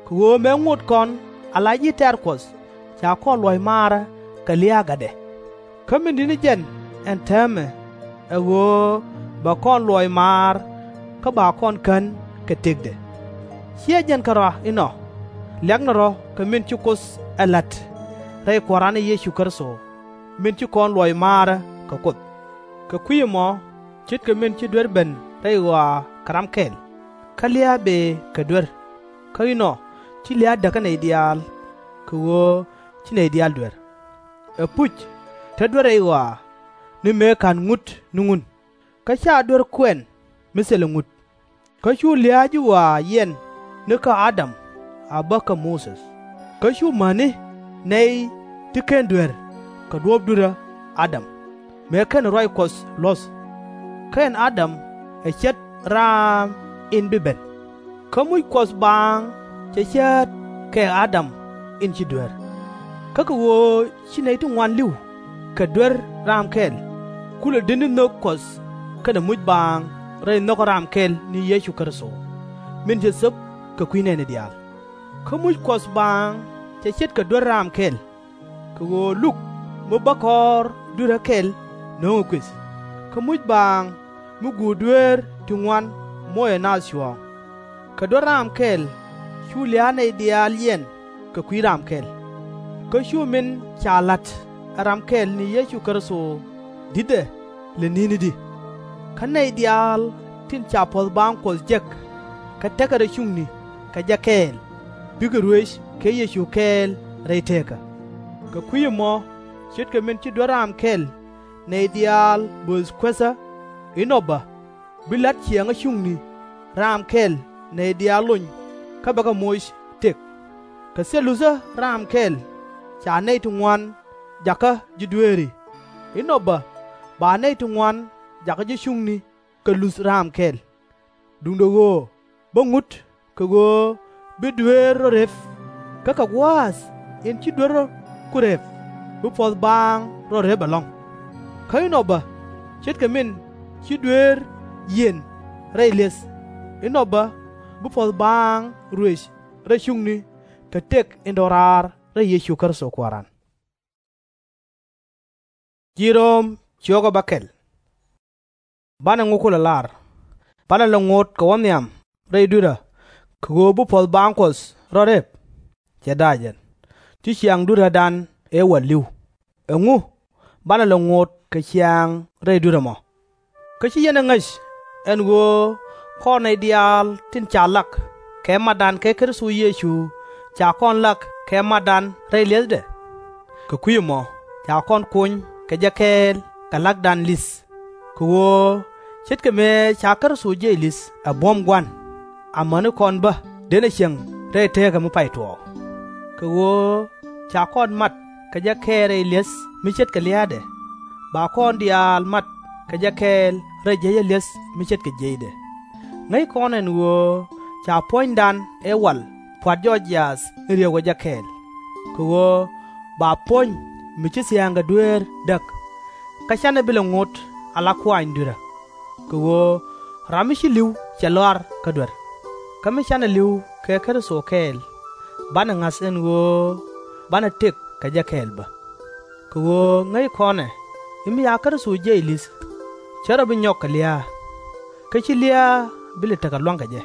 Kɛ ɣöö mëë ŋot kɔn ala ji̱ tɛ̈r Kuɔth, ca kɔn luɔ̱c maarä kɛ lia̱a̱ gatdɛ. Kä min di̱t ni jɛn ɛn täämɛ ɛ ɣöö bɛ kɔn luɔ̱c maar, kä ba kɔn kän kɛ tëkdɛ. /Ciɛ jɛn kärɔa inɔ, liaknɛ rɔ̱ kɛ min ci Kuoth ɛ la̱t rɛy Kua̱ran ni Yecu Kritho, min ci kɔn luɔ̱c maarä kɛ Kuoth. Kɛ kui̱ ɛmɔ, ce̱tkɛ min ci duer ben rɛy ɣɔaa kɛ ram kɛl, kä lia̱a̱ bëë kɛ duer, kä inɔ ci lia̱a̱ däk kä nɛy diaal, kɛ ɣöö ci nɛy diaal duer. Ɛpuc, te duer rɛy ɣɔaa, ni mëë /ka̱n ŋut ni ŋun, kä /ca duer kuɛn mi thilɛ ŋut. Kä cu lia̱a̱ ji̱ ɣɔaa yiɛn ni kä Adam a bä kä Mothe, kä cu mäni nɛy ti /ken duer kɛ duɔ̱ɔ̱p dui̱rä Adam, mëë /ken ruac Kuɔth luɔ̱th. Kä ɛn Adam ɛ ce̱t raam in bi ben. Kä muc Kuɔth baaŋ cɛ cäät kɛ Adam in ci duer. Kä kɛ ɣöö ci nɛy ti ŋuan li̱w kɛ duer raam kɛl, kulɛ di̱t ni nhök Kuɔth kɛnɛ muc baaŋ rɛy nhökä ram kɛl ni Yecu Kritho, min cɛ thöp kɛ kui̱ nɛɛni diaal. Kä muc Kuɔth baaŋ cɛ ce̱tkɛ duer raam kɛl, kɛ ɣöö luk mi bä kɔɔr dui̱rä kɛl no̱o̱ŋɛ kuëth, kä muc baaŋ mi guur dueer ti ŋuan moc ɛ naath cuɔ̱ɔ̱ŋ. Kɛ duer raam kɛl cu lia̱a̱ nɛy diaal yiɛn kɛ kui̱ ram kɛl. Kä cu min ca la̱t ɛ ram kɛl ni Yecu Kritho di̱tdɛ lɛ ni̱n i̱di. Kä nɛy diaal tin ca puɔ̱th baaŋ Kuɔth jek, kä tekɛ rɔ cuŋni kɛ jɛ kɛɛl, bikɛ ruëc kɛ Yecu kɛɛl rɛy teekä. Kɛ kui̱ ɛmɔ, ce̱tkɛ min ci duer raam kɛl nɛy diaal bööth kuethä, inɔ bä bi la̱t ciɛŋä cuŋni raam kɛl nɛy diaal lony, kä bakɛ moc tëk. Kɛ thil luthä raam kɛl ca nɛy ti ŋuan jakä ji̱ dueeri, inɔ bä ba nɛy ti ŋuan jakä ji̱ cuŋni kɛ luth raam kɛl. Duundɛ ɣöö bä ŋut kɛ ɣöö bi dueer rɔ rep, kä kɛ gua̱a̱th in ci duer rɔ ku rep, bi puɔ̱th baaŋ rɔ rep ɛlɔ̱ŋ. Kä inɔ bä, ce̱tkɛ min ci dueer yiɛn rɛy li̱eth, inɔ bä bi puɔ̱th baaŋ ruëc rɛy cuŋni kɛ tëk in rɔ raar rɛy Yecu Kritho Kua̱ran. Banɛ ŋu kulɛ lar? Banɛ lɛ ŋot kɛ wä nhiam rɛy dui̱rä kɛ ɣöö bi puɔ̱th baaŋ Kuɔth rɔ rep? Cɛ da̱a̱ jɛn. Ci ciaŋ dui̱rädan ëë wä li̱w. Ɛŋu banɛ lɛ ŋot kɛ ciaŋ rɛy dui̱rä mɔ? Kä ci yɛn ɛ ŋäc ɛn ɣöö kɔn nɛy diaal tin ca lak kɛ matdan kɛ Kritho Yecu ca kɔn lak kɛ matdan rɛy li̱ethdɛ. Kɛ kui̱ ɛmɔ ca kɔn kony kɛ jɛ kɛɛl kɛ la̱kdan li̱th, kɛ ɣöö ce̱tkɛ mëë ca Kritho jiɛc li̱th ɛ buɔ̱m Gua̱n, amäni kɔn bä denɛ cieŋ rɛy teekä mi pay tuɔɔk. Kɛ ɣöö ca kɔn mat kɛ jɛ kɛɛl rɛy li̱eth mi ce̱tkɛ lia̱a̱dɛ, ba kɔn diaal mat kɛ jɛ kɛɛl rɛy jiäcä li̱eth mi ce̱tkɛ jiëcdɛ. Ŋäc kɔn ɛn ɣöö ca puɔ̱nydan ëë wal pua̱t jɔɔc jiaath in ri̱ew kɛ jɛ kɛɛl, kɛ ɣöö ba puɔ̱ny mi ci thia̱a̱ŋ kɛ dueer däk, kä /canɛ bi lɛ ŋot ala kuaany dui̱rä. Kɛ ɣöö ram mi ci li̱w cɛ lɔar kä duer, kä mi canɛ li̱w kɛ Kritho kɛɛl, banɛ ŋa̱th ɛn ɣöö banɛ tëk kɛ jɛ kɛɛl bä. Kɛ ɣöö ŋäc kɔn ɛ i̱ mi ca Kritho jiɛc li̱th, /cɛ rɔ bi nyɔk kɛ lia̱a̱, kä /ci lia̱a̱ bi lɛ tekɛ lua̱ŋ kɛ jɛ.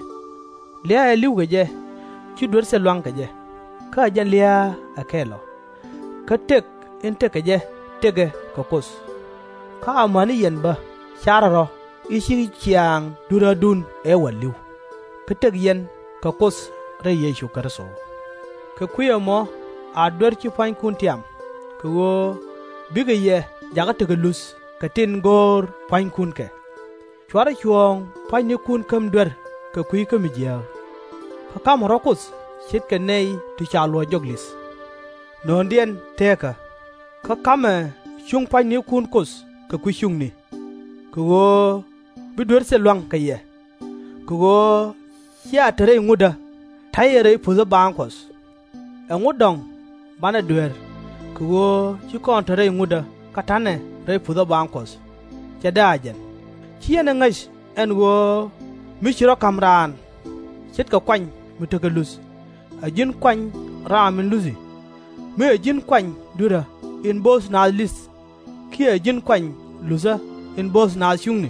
Lia̱a̱ ëë li̱w kɛ jɛ, /ci duer thil lua̱ŋ kɛ jɛ, kä ɛ jɛn lia̱a̱ ɛ kɛl ɔ. Kä tëk in tëk kɛ jɛ tëkɛ kɛ Kuoth. Kä amäni yɛn bä carɛ rɔ i̱ ci ciaŋ dui̱rädun ëë wal li̱w, kä tëk yɛn kɛ Kuoth rɛy Yecu Kritho. Kɛ kui̱ ɛmɔ a duer ci pua̱nykun tiam, kɛ ɣöö bikɛ yɛ jakä tekɛ luth kɛ tin go̱o̱r pua̱nykun kɛ. /Cuarɛ cuɔ̱ɔ̱ŋ pua̱nynikun käm duer kɛ kui̱ kä mi jiääk, kä ka̱mɛ rɔ̱ Kuoth ce̱tkɛ nɛy ti ca luɔ̱c jɔk li̱th. Nööŋdiɛn teekä, kä ka̱mɛ cuŋ pua̱nynikun Kuoth kɛ kui̱ cuŋni, kɛ ɣöö bi duer thil lua̱ŋ kɛ yɛ. Kɛ ɣöö /cia te rɛy ŋutdä, ta̱yɛ rɛy puthä baaŋ Kuɔth. Ɛŋu dɔ̱ŋ banɛ duer, kɛ ɣöö /ci kɔn te rɛy ŋutdä kä ta̱nɛ rɛy puthä baaŋ Kuɔth? /Cɛ dee a jɛn. /Ci yɛn ɛ ŋäc ɛn ɣöö mi ci rɔ̱ ka̱m raan ce̱tkɛ kuany mi tekɛ luth, ɛ ji̱n kuany raam in luthi? Mi ɛ ji̱n kuany dui̱rä in bööth naath li̱th, kiɛ ɛ ji̱n kuany luthä in bööth naath cuŋni?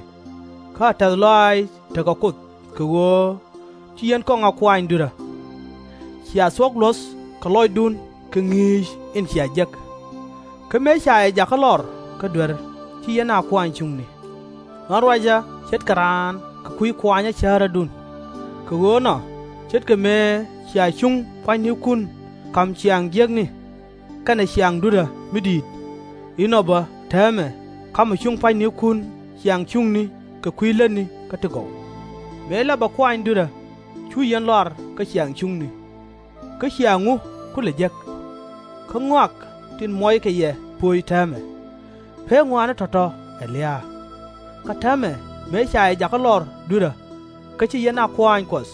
Kä a tɛ̈th lɔaac tekɛ Kuoth, kɛ ɣöö ci yɛn kɔŋ a kuaany dui̱rä. Cia thuɔ̱k luɔ̱th kɛ lɔcdun kɛ ŋi̱i̱c in cia jek. Kä mëë ca yɛ jakä lɔr kä duer, ci yɛn a kuaany cuŋni. Ɣän ruacä ce̱tkɛ raan kɛ kui̱ kuanyä cäärädun. Kɛ ɣöö nɔ, ce̱tkɛ mëë cia cuŋ pua̱nynikun ka̱m ciaŋ jiäkni kɛnɛ ciaŋ dui̱rä mi di̱i̱t, inɔ bä täämɛ ka̱mɛ cuŋ pua̱nynikun ciaŋ cuŋni kɛ kui̱ lätni kä ti gɔw. Mëë lapɛ kuaany dui̱rä, /cu yɛn lɔar kä ciaŋ cuŋni. Kä ciaŋ ŋu ku lɛ jek? Kä ŋɔak tin muɔckɛ yɛ pöc täämɛ. Pek ŋɔaani tɔ̱tɔ̱ ɛ lia̱a̱. Kä täämɛ mëë ca yɛ jakä lɔr dui̱rä, kä ci yɛn a kuaany Kuɔth.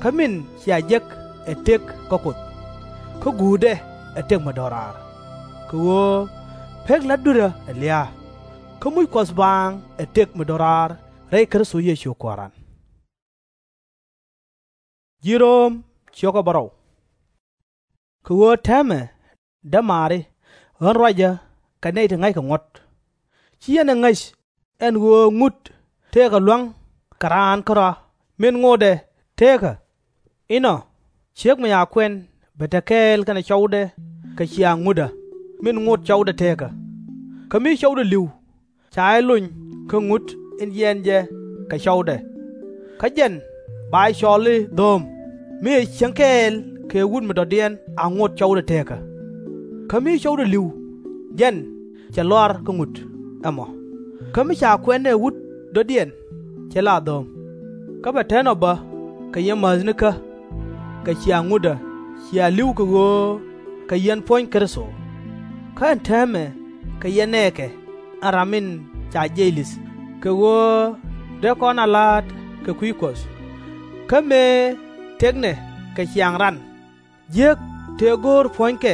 Kä min cia jek ɛ tëk kä Kuoth, kä guutdɛ ɛ tëk mi do̱raar. Kɛ ɣöö pek la̱t dui̱rä ɛ lia̱a̱, kä muc Kuɔth baaŋ ɛ tëk mi do̱raar rɛy Kritho Yecu Kuääran. Kɛ ɣöö täämɛ, dämaari, ɣän ruacä kɛ nɛy ti ŋa̱ckɛ ŋuɔ̱t, ci yɛn ɛ ŋäc ɛn ɣöö ŋut tëëkɛ lua̱ŋ kɛ raan kärɔa min ŋotdɛ teekä. Inɔ, ciek mi ca kuɛn bɛ te kɛɛl kɛnɛ cɔwdɛ kɛ ciaŋ ŋutdä min ŋot cɔwdɛ teekä. Kä mi cɔwdɛ li̱w, ca jɛ lony kä ŋut in jiɛɛn jɛ kɛ cɔwdɛ. Kä jɛn ba jɛ cɔl i̱ dhööm, mi cɛ cieŋ kɛɛl kɛ wut mi dɔ̱diɛn a ŋot cɔwdɛ teekä. Kä mi cɔwdɛ li̱w, jɛn cɛ lɔar kä ŋut ɛmɔ. Kä mi ca kuɛn ɛ wut dɔ̱diɛn, cɛ la dhööm. Kä bɛ te nɔ bä kɛ yɛ mäthnikä kɛ ciaŋ ŋutdä cia li̱w kɛ ɣöö kɛ yɛn puɔ̱ny Kritho. Kä ɛn täämɛ kɛ yɛn nɛɛkɛ ɛn ram min ca jiɛc li̱th, kɛ ɣöö dee kɔn a la̱a̱t kɛ kui̱ Kuɔth. Kä mëë tëknɛ kɛ ciaŋ ran, jiääk tëë go̱o̱r puɔ̱nykɛ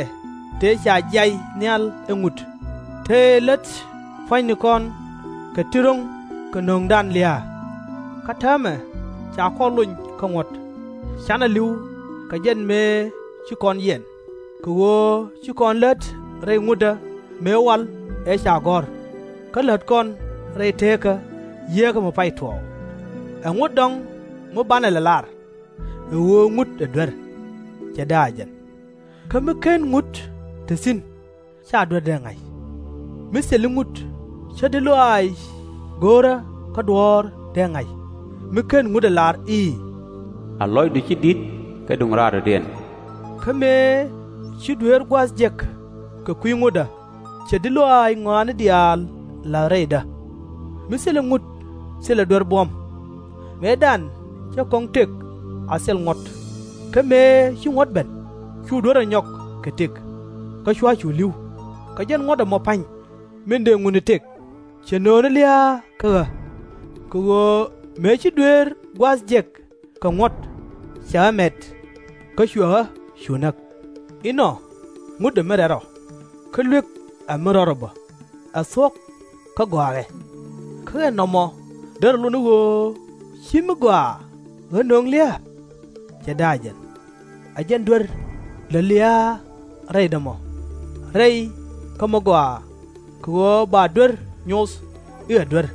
tëë ca jiay nhial ɛ ŋut, tëë lät pua̱nynikɔn kɛ ti ro̱ŋ kɛ nöŋdan lia̱a̱. Kä täämɛ ca kɔn lony kä ŋuɔ̱t, canɛ li̱w kɛ jɛn mëë ci kɔn yiɛn, kɛ ɣöö ci kɔn lät rɛy ŋutdä mëë wal ëë ca gɔ̱r, kä lät kɔn rɛy teekä yieekä mi pay tuɔɔk. Ɛŋu dɔ̱ŋ mi banɛ lɛ lar? Ɛ ɣöö ŋut ɛ duer. /Cɛ dee a jɛn. Kä mi /ken ŋut te thi̱n, /ca duer dee ŋa̱c. Mi thil ŋut, /cä di̱t lɔaac go̱o̱rä kä duɔ̱ɔ̱r dee ŋa̱c, mi /ken ŋut ɛ lar i̱, A lɔcdu ci di̱t kä duŋ raar dɔ̱diɛn. Kä mëë ci dueer gua̱a̱th jek kɛ kui̱ ŋutdä, cɛ di̱t lɔaac ŋɔaani diaal la̱th rɛydä. Mi thilɛ ŋut, thilɛ duer buɔ̱m. Mëëdan cä kɔŋ tëk a thil ŋuɔ̱t. Kä mëë ci ŋuɔ̱t ben, /cu duer ɛ nyɔk kɛ tëk. kä /cua cu li̱w. Kɛ jɛn ŋuɔ̱t ɛmɔ pa̱ny, min dëë ŋutni tëk, cɛ nööni lia̱a̱ kä ɣä. Kɛ ɣöö mëë ci dueer gua̱a̱th jek kɛ ŋuɔ̱t, cɛ ɣä mɛt, kä cuɛ ɣä cu näk. Inɔ ŋut ɛ mi rɛl rɔ, kä luek ɛ mi rɔl rɔ bä, ɛ thuɔ̱k kä gɔaaɛ. Kä ɛn nɔmɔ derɛ lot ni ɣöö /ci mi gɔaa ɣä nöŋ lia̱a̱? /Cɛ da̱a̱ jɛn. Ɛ jɛn duer lät lia̱a̱ rɛydä mɔ, rɛy kä mi gɔaa, kɛ ɣöö ba duer nyoth i̱ ɛ duer,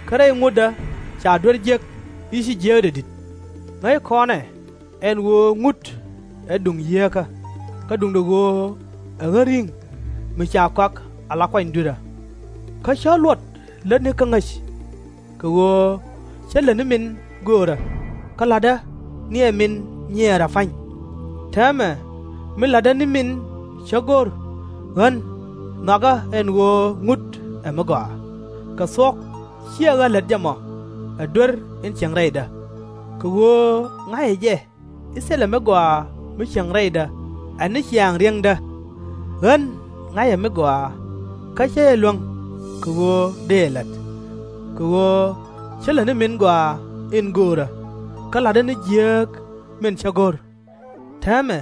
kä rɛy ŋutdä ca duer jiäk i̱ ci jiääkdɛ di̱t. Ŋäc kɔnɛ ɛn ɣöö ŋut ɛ duŋ yieekä, kä duundɛ ɣöö ɛ ɣän ri̱ŋ mi ca kɔak ala kuany dui̱rä. Kä /cä luɔt lätni kä ŋäc, kɛ ɣöö cä lät ni min göörä, kä la̱tdä ni ɛ min nyiɛɛrä pa̱ny. Täämɛ mi la̱tdä ni min cä go̱r, ɣän nhɔakä ɛn ɣöö ŋut ɛ mi gɔaa. Kɛ thuɔ̱k /ciɛ ɣä lät jɛ mɔ, ɛ duer in cieŋ rɛydä. Kɛ ɣöö ŋa̱cɛ jɛ i̱ thilɛ mi gɔaa mi cieŋ rɛydä ɛ ni ciaŋ riäŋdä. Ɣän ŋa̱cɛ mi gɔaa, kä /cä jɛ luäŋ kɛ ɣöö dëë la̱t. Kɛ ɣöö cä lät ni min gɔaa in göörä, kä la̱tdä ni jiääk min cä go̱r. Täämɛ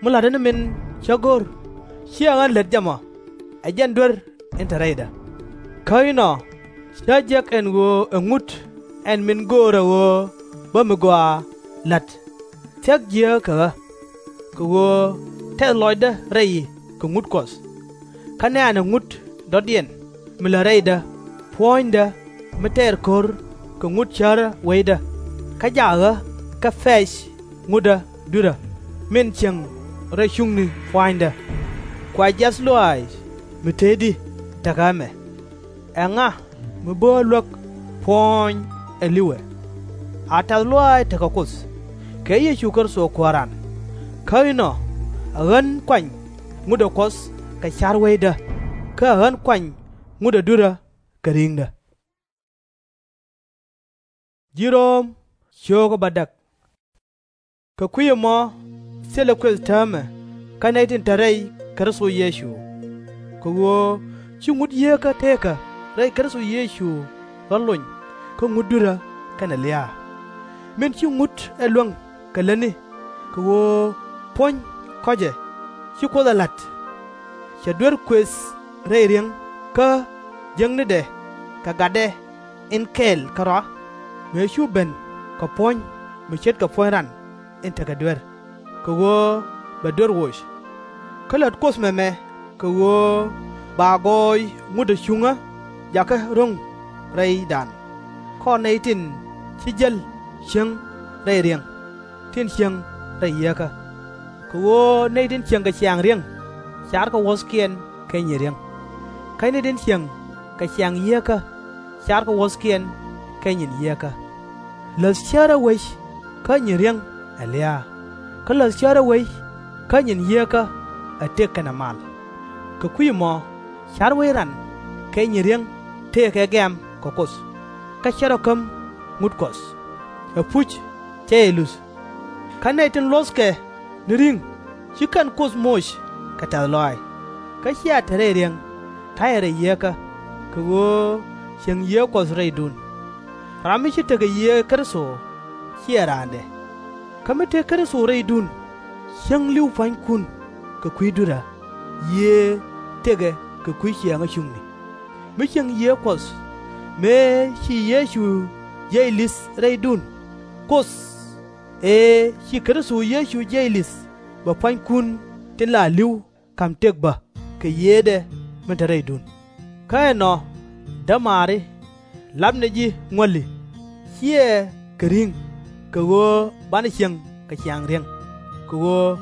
mi la̱tdä ni min cä go̱r, /ciɛ ɣän lät jɛ mɔ, ɛ jɛn duer in te rɛydä. Kä inɔ cä jek ɛn ɣöö ɛ ŋut ɛn min göörä ɣöö bä mi gɔaa la̱t, thia̱k jiääk kɛ ɣä. Kɛ ɣöö tɛth lɔcdä rɛy kɛ ŋut Kuɔth. Kä nɛ̈ɛ̈nɛ ŋut dɔ̱diɛn mi lät rɛydä puɔ̱nydä mi tɛɛr ko̱r kɛ ŋut cärä weydä, kä jak ɣä kɛ pɛ̈c ŋutdä dui̱rä min cieŋ rɛy cuŋni pua̱nydä. Kua jiath lɔaac mi te i̱di tekɛ ɣä ɛmɛ? Ɛŋa mi bä luäk puɔ̱ɔ̱ny ɛ li̱wɛ? A tɛ̈th lɔaac tekɛ Kuoth kɛ Yecu Kritho Kuääran. Kä inɔ ɛ ɣän kuany ŋutdä Kuɔth kɛ ca̱r weydä, kä ɛ ɣän kuany ŋutdä dui̱rä kɛ ri̱ŋdä. Kɛ kui̱ ɛmɔ thilɛ kuëth täämɛ kä nɛy tin te rɛy Kritho Yecu. Kɛ ɣöö ci ŋut yieekä tëëkä rɛy Kritho Yecu rɔ lony kä ŋut dui̱rä kɛnɛ lia̱a̱. Min ci ŋut ɛ luäŋ kɛ lätni, kɛ ɣöö puɔ̱ny kɔ̱cɛ ci Kuoth ɛ la̱t, cɛ duer kuëth rɛy riäŋ kä jiäknidɛ kɛ gatdɛ in kɛɛl kärɔa, mëë cu ben kɛ puɔ̱ny mi ce̱tkɛ puɔ̱ny ran in tekɛ duer, kɛ ɣöö bɛ duer woc. Kä lät Kuoth mɛmɛ kɛ ɣöö ba gɔɔy ŋut ɛ cuŋä jakä ro̱ŋ rɛydan, kɔr nɛy tin ci jäl cieŋ rɛy riäŋ, tin cieŋ rɛy yieekä. Kɛ ɣöö nɛy tin cieŋ kɛ ciaŋ riäŋ, carkɛ wuɔ̱thkiɛn kɛ nyin riäŋ. Kä nɛy tin cieŋ kɛ ciaŋ yieekä, carkɛ wuɔ̱thkiɛn kɛ nyin yieekä. Läth cärä wec kä nyin riäŋ ɛ lia̱a̱, kä läth cärä wec kä nyin yieekä ɛ tëk kɛnɛ mal. Kɛ kui̱ ɛmɔ ca̱r wec ran kɛ nyin riäŋ tëëkɛ gɛ̈m kɛ Kuoth, kä /cɛ rɔ käm ŋut Kuɔth. Ɛpuc /cɛ jɛ luth. Kä nɛy tin luɔ̱thkɛ ni ri̱ŋ, ci kɛn Kuoth moc kɛ tɛ̈th lɔaac, kä /cia te rɛy riäŋ, ta̱yɛ rɛy yieekä, kɛ ɣöö cieŋ yiëë Kuɔth rɛydun. Ram mi /ci tekɛ yiëë Kritho /ciɛ raandɛ. Kä mi tëë Kritho rɛydun, cieŋ li̱w pua̱nykun kɛ kui̱ dui̱rä, yiëë tëkɛ kɛ kui̱ ciaaŋä cuŋni. Mi cieŋ yiëë Kuɔth, mëë ci Yecu jiɛc li̱th rɛydun, Kuoth ëë ci Kritho Yecu jiɛc li̱th bɛ pua̱nykun tin la li̱w ka̱m tëk bä kɛ yiëëdɛ min te rɛydun. Kä ɛnɔ, dämaari, lapnɛ ji̱ ŋuäli, /ciɛ kɛ ri̱ŋ, kɛ ɣöö banɛ cieŋ kɛ ciaŋ riäŋ, kɛ ɣöö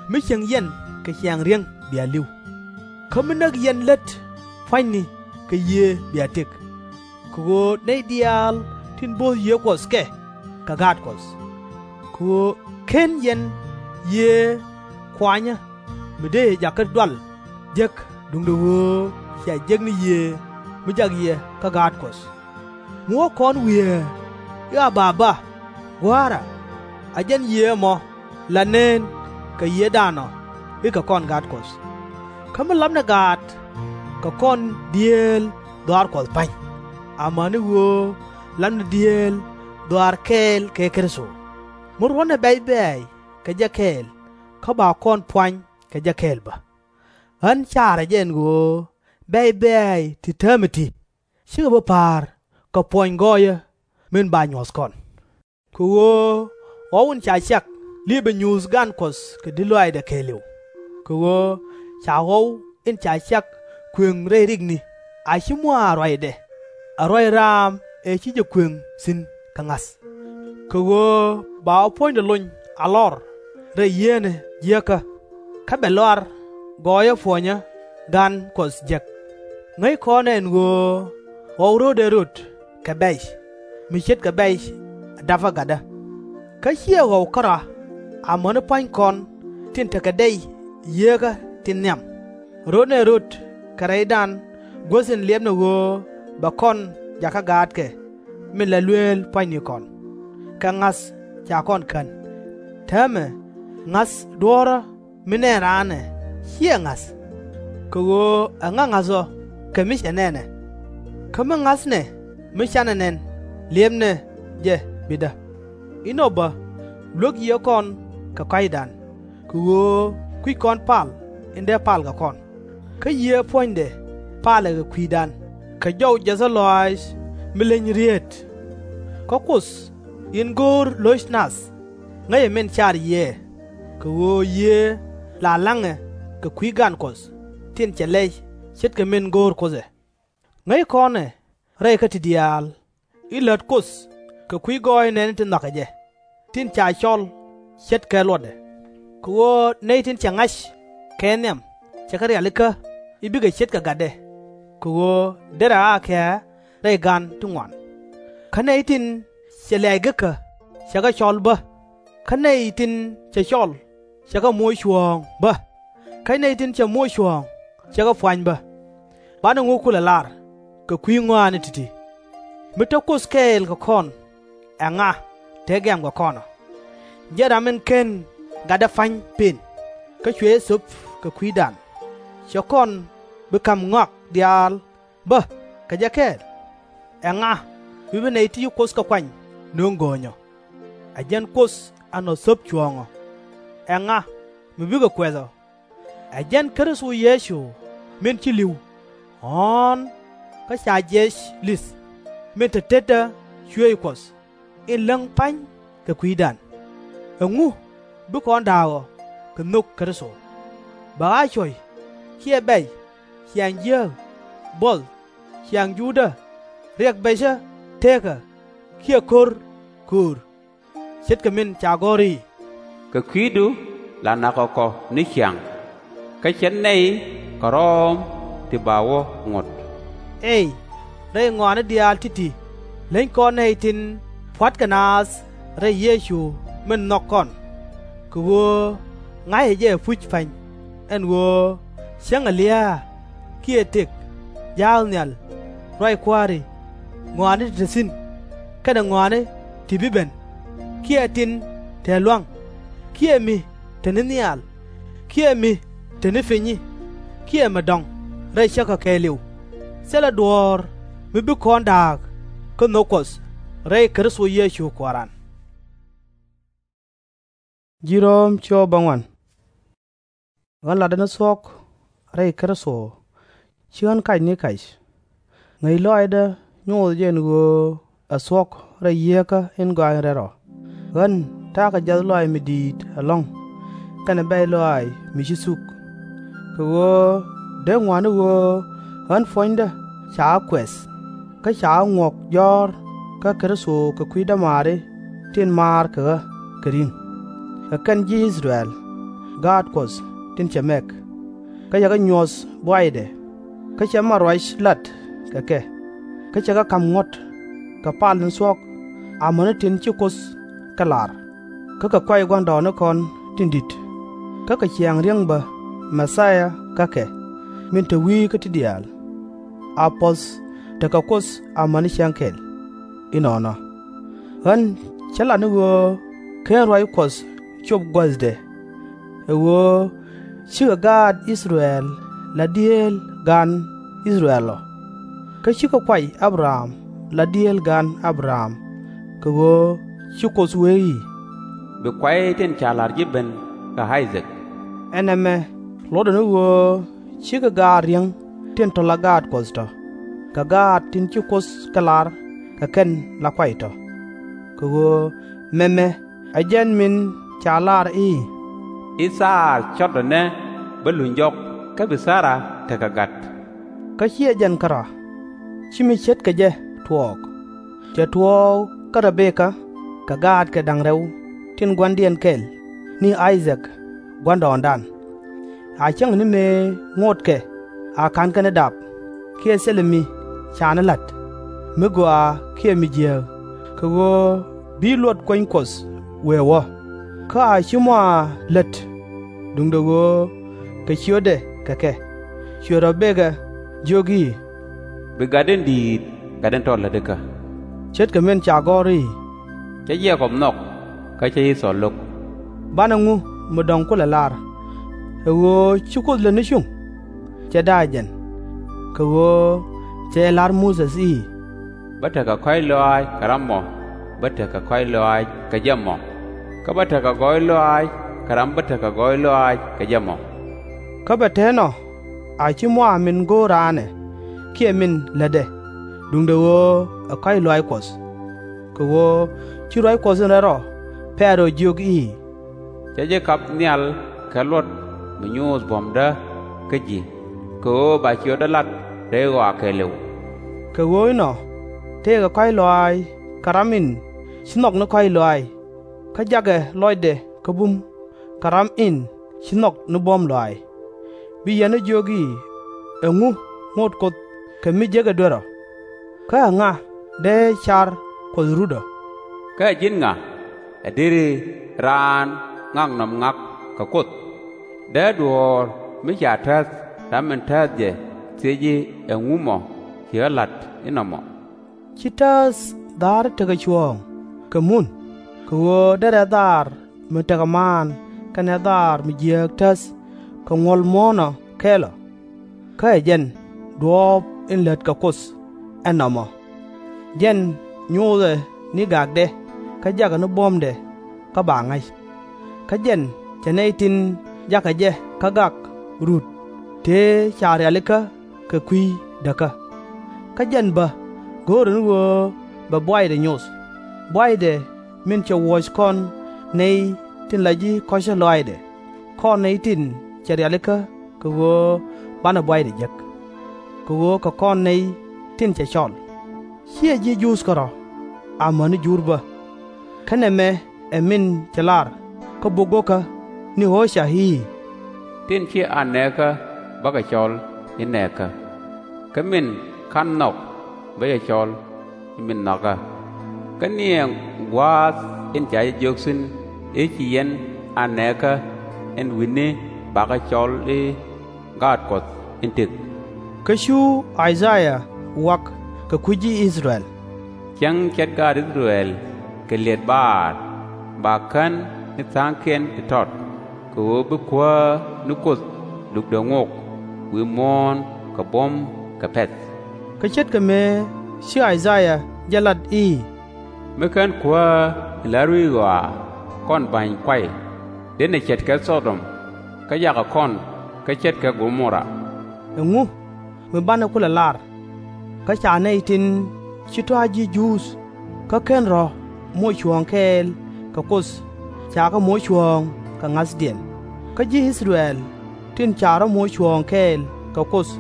mi cieŋ yɛn kɛ ciaŋ riäŋ bia li̱w. Kä mi näk yɛn lät pua̱nyni kɛ yiëë bia tëk. Kɛ ɣöö nɛy diaal tin bo̱o̱th yiëë Kuɔth kɛ, kɛ gaat Kuɔth. Kɛ ɣöö /ken yɛn yiëë kuanyä mi dëë jakä dual jek, duundɛ ɣöö cia jek ni yiëë mi jak yɛ kä gaat Kuɔth. Mi wä kɔn wiee i̱, Aba, Gua̱a̱ra! Ɛ jɛn yiëë ɛmɔ la neen kɛ yiëëdan ɔ i̱ kɛ kɔn gaat Kuɔth. Kä mi lapnɛ gaat, kɛ kɔn dieel dhɔaar Kuɔth pa̱ny, amäni ɣöö lapnɛ dieel dhɔaar kɛɛl kɛ Kritho. Mi ruɔ̱tnɛ bɛ̈c bɛ̈ɛ̈c kɛ jɛ kɛɛl, kä ba kɔn puany kɛ jɛ kɛɛl bä. Ɣän carɛ jɛ ɛn ɣöö bɛ̈c bɛ̈ɛ̈c ti täämɛ ti, /cikɛ bi pa̱a̱r kɛ puɔny gɔɔyä min ba nyuɔ̱th kɔn. Kɛ ɣöö ɣɔw in ca ciak liipɛ nyuuth gan Kuɔth kɛ di̱t lɔaacdɛ kɛɛliw. Kɛ ɣöö ca ɣɔw in ca ciak kuëŋ rɛy rikni, a /ci mua̱a̱ ruacdɛ, a ruac raam ëë ci jɛ kuëŋ thi̱n kɛ ŋa̱th. Kɛ ɣöö ba ɣä puɔ̱nydɛ lony a lɔr rɛy yieenä jiäkä, kä bɛ lɔar gɔɔyä puɔ̱nyä gan Kuɔth jek. Ŋäc kɔn ɛ ɛn ɣöö ɣɔw ro̱o̱dɛ röt kɛ bɛ̈c, mi ce̱tkɛ bɛ̈c da̱pä gatdä. Kä /ciɛ ɣɔw kärɔa, amäni pua̱ny kɔn tin tekɛ dɛy yieekä tin nhiam, ro̱tnɛ röt kɛ rɛydan guäth in liɛpnɛ ɣöö bɛ kɔn jakä gaatkɛ min la lueel pua̱nynikɔn. Kɛ ŋa̱th ca kɔn kän, täämɛ ŋa̱th duɔ̱ɔ̱rä mi nɛn raan ɛ /ciɛ ŋa̱th. Kɛ ɣöö ɛŋa ŋa̱th ɔ kɛ mi cɛ nɛn ɛ? Kä mi ŋa̱thnɛ mi /canɛ nɛn liɛpnɛ jɛ bitdä. Inɔ bä, luäk yiëë kɔn kɛ kɔ̱a̱cdan, kɛ ɣöö kui̱c kɔn pal in dee pal kɛ kɔn, kä yiëë puɔ̱nydɛ palɛ kɛ kui̱dan kɛ jɔw jiäthä lɔaac mi leny rieet. Kä Kuoth in go̱o̱r lo̱c nath, ŋäcɛ min car yiëë, kɛ ɣöö yiëë la la̱ŋɛ kɛ kui̱ gan Kuɔth tin cɛ lɛy ce̱tkɛ min go̱o̱r Kuoth ɛ. Ŋäc kɔn ɛ rɛy kä ti diaal, i̱ lät Kuoth kɛ kui̱ gɔɔy nɛɛni ti nhɔakɛ jɛ, tin ca cɔl ce̱tkɛ luɔtdɛ. Kɛ ɣöö nɛy tin cɛ ŋa̱c kɛ nhiam cɛ kɛ rialikä i̱ bikɛ ce̱tkɛ gatdɛ, kɛ ɣöö derɛ akɛ rɛy gan ti ŋuan. Kä nɛy tin cɛ lɛ̈ɛ̈c gekä cɛ kɛ cɔl bä, kä nɛy tin cɛ cɔl cɛ kɛ moc cuɔ̱ɔ̱ŋ bä, kä nɛy tin cɛ moc cuɔ̱ɔ̱ŋ cɛ kɛ puany bä. Banɛ ŋu kulɛ lar kɛ kui̱ ŋɔaani ti̱ti̱? Mi te Kuoth kɛɛl kɛ kɔn, ɛŋa te gɛ̈mkɛ kɔn ɔ? Jɛn ram in /ken gatdɛ pa̱ny pëën, kä cuɛ jɛ thöp kɛ kui̱dan, /cɛ kɔn bi ka̱m ŋɔak diaal bä kɛ jɛ kɛɛl? Ɛŋa mi bi nɛy ti ci Kuoth kɛ kuany nöŋ go̱o̱nyɔ? Ɛ jɛn Kuoth ɛ nɔ thöp cuɔ̱ɔ̱ŋ ɔ. Ɛŋa mi bikɛ kuɛth ɔ? Ɛ jɛn Kritho Yecu min ci li̱w, ɣɔ̱ɔ̱n kä ca jiɛc li̱th, min te tetdä cuëëc Kuɔth, in läŋ pa̱ny kɛ kui̱dan. Ɛŋu bi kɔn da̱a̱k ɔ kɛ nhök Kritho? Bɛ ɣä cuɔ̱c, kiɛ bɛ̈c, ciaŋ jiääk, buɔth, ciaŋ juudä, riɛk bɛcä teekä, kiɛ ko̱r köör? Ce̱tkɛ min ca gɔ̱r i̱, Kɛ kui̱du la nakɔ kɔ ni ciaŋ, kä /cɛ nɛy kärɔ̱ ti ba wä ŋot. Ëë rɛy ŋɔaani diaal ti̱ti̱ leny kɔn nɛy tin pua̱tkɛ naath rɛy Yecu min nhɔk kɔn. Kɛ ɣöö ŋa̱cä jɛ ɛpuc pa̱ny, ɛn ɣöö cäŋɛ lia̱a̱, kiɛ tëk, ja̱a̱k nhial, ruac kua̱ri, ŋɔaani ti te thi̱n, kɛnɛ ŋɔaani ti bi ben, kiɛ tin te lua̱ŋ, kiɛ mi te ni nhial, kiɛ mi te ni pinyi, kiɛ mi dɔ̱ŋ, rɛy cäkä kɛɛliw, thilɛ duɔ̱ɔ̱r mi bi kɔn da̱a̱k kä nhök Kuɔth rɛy Kritho Yecu Kuääran. Ɣän latdä ni thuɔ̱k rɛy Kritho, /ci ɣän kac ni kac. Ŋäc lɔaacdä nyothɛ jɛ ɛn ɣöö ɛ thuɔ̱k rɛy yieekä in gɔa̱a̱ny rɛl rɔ. Ɣän ta̱a̱ kɛ jiath lɔaac mi di̱i̱t ɛlɔ̱ŋ, kɛnɛ bɛ̈c lɔaac mi ci thuk. Kɛ ɣöö dee ŋuan ni ɣöö ɣän puɔ̱nydä ca ɣä kuɛth, kä ca ɣä ŋuɔ̱k jɔ̱ɔ̱r kä Kritho kɛ kui̱ dämaari tin maar kɛ ɣä kɛ ri̱ŋ. Kɛ kɛn ji̱ I-thɛ-rɛl, gaat Kuɔth tin cɛ mɛk, kä cɛ kɛ nyuɔ̱th buaydɛ, kä cɛ mat ruac lat kɛ kɛ, kä cɛ kɛ ka̱m ŋuɔ̱t kɛ pal ni thuɔ̱k, amäni tin ci Kuoth kɛ lar, kä kɛ kɔ̱a̱c gua̱ndɔɔŋnikɔn tin di̱t, kä kɛ ciaŋ ri̱eŋ bä Mɛ-thia kä kɛ, min te wi̱i̱ kä ti diaal. A puɔ̱th tekɛ Kuoth amäni cäŋ kɛl. Inɔnɔ, ɣän cä lat ni ɣöö /ken ruac Kuɔth cop guäthdɛ, ɛ ɣöö /cikɛ gaat I-thɛ-rɛl la dieel gan I-thɛ-rɛl ɔ. Kä /cikɛ kuay A-bɛ-ram la dieel gan A-bɛ-ram, kɛ ɣöö ci Kuoth wee i̱, Bi kuay tin ca la̱r ji̱ ben kɛ I-thɛ-rɛl. Ɛ nɛmɛ luɔtdɛ ni ɣöö /cikɛ gaat riäŋ tin tɔ̱ la gaat Kuɔth tɔ̱, kɛ gaat tin ci Kuoth kɛ lar kɛ kɛn la kuay tɔ̱. Kɛ ɣöö mɛmɛ ɛ jɛn min ca lar i̱, I-thɛ-rɛl cɔtdɛ nɛ bä luny jɔk, kä bi Thara tekɛ gat. Kä /ciɛ jɛn kärɔa, ci mi ce̱tkɛ jɛ tuɔɔk. Cɛ tuɔɔk kä Rɛ-bɛ-kä kɛ gaatkɛ da̱ŋ rɛw tin gua̱ndiɛn kɛl ni I-thɛ-rɛl gua̱ndɔɔŋdan. A cäŋ ni mëë ŋotkɛ a ka̱nkɛ ni dap kiɛ thilɛ mi ca ni la̱t mi gɔaa kiɛ mi jiääk, kɛ ɣöö bi luɔt kuany Kuɔth wëë wä. Kä a /ci mɔ a lät, duundɛ ɣöö kɛ ciötdɛ kɛ kɛ. Cuɛ Rɛ-bɛ-kä jiök i̱, Bi gat in di̱i̱t gat in tɔ̱ lätikä. Ce̱tkɛ min ca gɔ̱r i̱, Cä Jɛ-kɔb nhɔk, kä cä I-thɔɔl lo̱k. Banɛ ŋu mi dɔ̱ŋ kulɛ lar, ɛ ɣöö ci Kuoth lät ni cuŋ? Cɛ da̱a̱ jɛn. Kɛ ɣöö cɛ jɛ la̱r Muthɛ i̱, Bä tekɛ kɔ̱a̱c lɔaac kɛ ram mɔ bä tekɛ kɔ̱a̱c lɔaac kɛ jɛ mɔ, kä bä tekɛ gɔɔy lɔaac kɛ ram bä tekɛ gɔɔy lɔaac kɛ jɛ mɔ. Kä bɛ te nɔ a /ci mɔ a min go̱o̱r raan ɛ kiɛ min lätdɛ, duundɛ ɣöö ɛ kɔ̱a̱c lɔaac Kuɔth. Kɛ ɣöö ci ruac Kuɔth in rɛl rɔ Pɛro jiök i̱, Cä ji̱ kap nhial kɛ luɔt mi nyuuth buɔ̱mdä kä ji̱, kɛ ɣöö ba ciötdä lat rɛy ɣɔaa kɛɛliw. Kɛ ɣöö inɔ tëëkɛ kɔ̱a̱c lɔaac kɛ ram in ci nhɔk ni kɔ̱a̱c lɔaac, kä jakɛ lɔcdɛ kä bum kɛ ram in ci nhɔk ni buɔ̱m lɔaac. Bi yɛn ɛ jiök i̱, Ɛŋu ŋot Kuoth kɛ mi jekɛ duer ɔ? Kä ɛŋa dee car Kuɔth rut ɔ? Kä ɛ ji̱n ŋa ɛ deri raan ŋaknɔm ŋak kɛ Kuoth? Dee duɔ̱ɔ̱r mi ca täth ram in tääth jɛ thiec i̱, Ɛŋu mɔ ci ɣä la̱t inɔ mɔ? Ci tääth dha̱a̱r tekɛ cuɔ̱ɔ̱ŋ kɛ mun, kɛ ɣöö derɛ dhaar mi tekɛ maan kɛnɛ dhaar mi jiääk täth kɛ ŋuɔ̱l muɔ̱ɔ̱n ɔ kɛl ɔ. Kä ɛ jɛn duɔ̱ɔ̱p in lät kɛ Kuoth ɛn nɔmɔ. Jɛn nyothɛ ni gakdɛ kä jakɛ ni buɔ̱mdɛ kä ba ŋa̱c. Kä jɛn cɛ nɛy tin jakɛ jɛ kä gak rut tëë ca rialikä kɛ kui̱ däkä. Kä jɛn bä go̱o̱rɛ ni ɣöö bɛ buaydɛ nyoth, buaydɛ min cɛ wuɔ̱c kɔn nɛy tin la ji̱ kɔ̱cä lɔaacdɛ, kɔn nɛy tin cɛ rialikä kɛ ɣöö banɛ buaydɛ jek, kɛ ɣöö kɛ kɔn nɛy tin cɛ cɔl. /Ciɛ ji̱ Juudh kärɔ̱, amäni Jur bä. Kä nɛmɛ ɛ min cɛ lar kä bok go̱kä ni Ɣööca i̱, Tin /ciɛ a nɛɛkä bäkɛ cɔl i̱ nɛɛkä, kä min /ka̱n nhɔk bä jɛ cɔl i̱ min nhɔakä. Kä ni ɛ gua̱a̱th in ca jɛ jiök thi̱n i̱, Ci yɛn a nɛɛkä ɛn wi̱ni bakɛ cɔl i̱ Gaat Kuɔth in tëk. Kä cu I-thɛ-yaa wa̱k kɛ kui̱ ji̱ I-thɛ-rɛl, Cäŋ ce̱t gaat I-thɛ-rɛl kɛ liɛt Ba-al, ba kän ni tha̱a̱ŋkiɛn ti tɔt, kɛ ɣöö bi Kuäär ni Kuoth lukdɛ ŋok wi̱i̱ muɔ̱ɔ̱n kɛ buɔ̱m kɛ pɛ̈th. Kä ce̱tkɛ mëë ci I-thɛ-yaa jɛ lat i̱, Mi /ken Kuäär in la ruec ɣɔaa kɔn ba̱ny kuay, dënɛ ce̱tkɛ Thɔ-dɔm, kä jakɛ kɔn kä ce̱tkɛ Go-mo-ra. Ɛŋu mi banɛ kulɛ lar? Kä ca nɛy tin /ci tɔ̱ a ji̱ Juudh kä /ken rɔ̱ moc cuɔ̱ɔ̱ŋ kɛɛl kɛ Kuoth cakɛ moc cuɔ̱ɔ̱ŋ kɛ ŋa̱thdiɛn. Kä ji̱ I-thɛ-rɛl tin ca rɔ̱ moc cuɔ̱ɔ̱ŋ kɛɛl kɛ Kuoth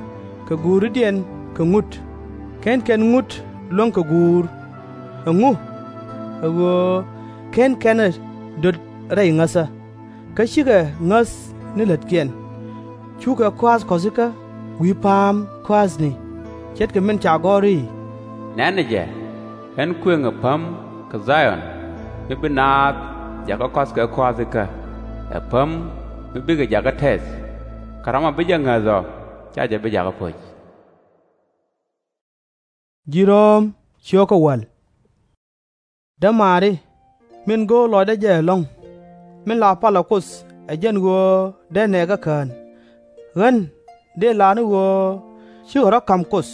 kɛ guuridiɛn kɛ ŋut, /ken kɛn ŋut luäŋ kɛ guur. Ɛŋu? Ɛ ɣöö /ken kɛn ɛ döt rɛy ŋäthä, kä /cikɛ ŋäth ni lätkiɛn. Cukɛ kua̱th kɔ̱thikä wi̱i̱ pa̱a̱m kua̱thni, ce̱tkɛ min ca gɔ̱r i̱, Nɛ̈nɛ jɛ, ɣän kuëŋɛ päm kɛ Dha-yɔn, mi bi naath jakä kɔ̱th kɛ kua̱thikä, ɛ päm mi bikɛ jakä tɛth, kä ram mi bi jɛ ŋäth ɔ /ca jɛ bi jakä po̱c. Dämaari, min go̱o̱r lɔcdä jɛ ɛlɔ̱ŋ, min la palä Kuoth ɛ jɛn ɣöö dee nɛɛkä kään, ɣän dëë lar ni ɣöö cikɛ rɔ̱ ka̱m Kuoth,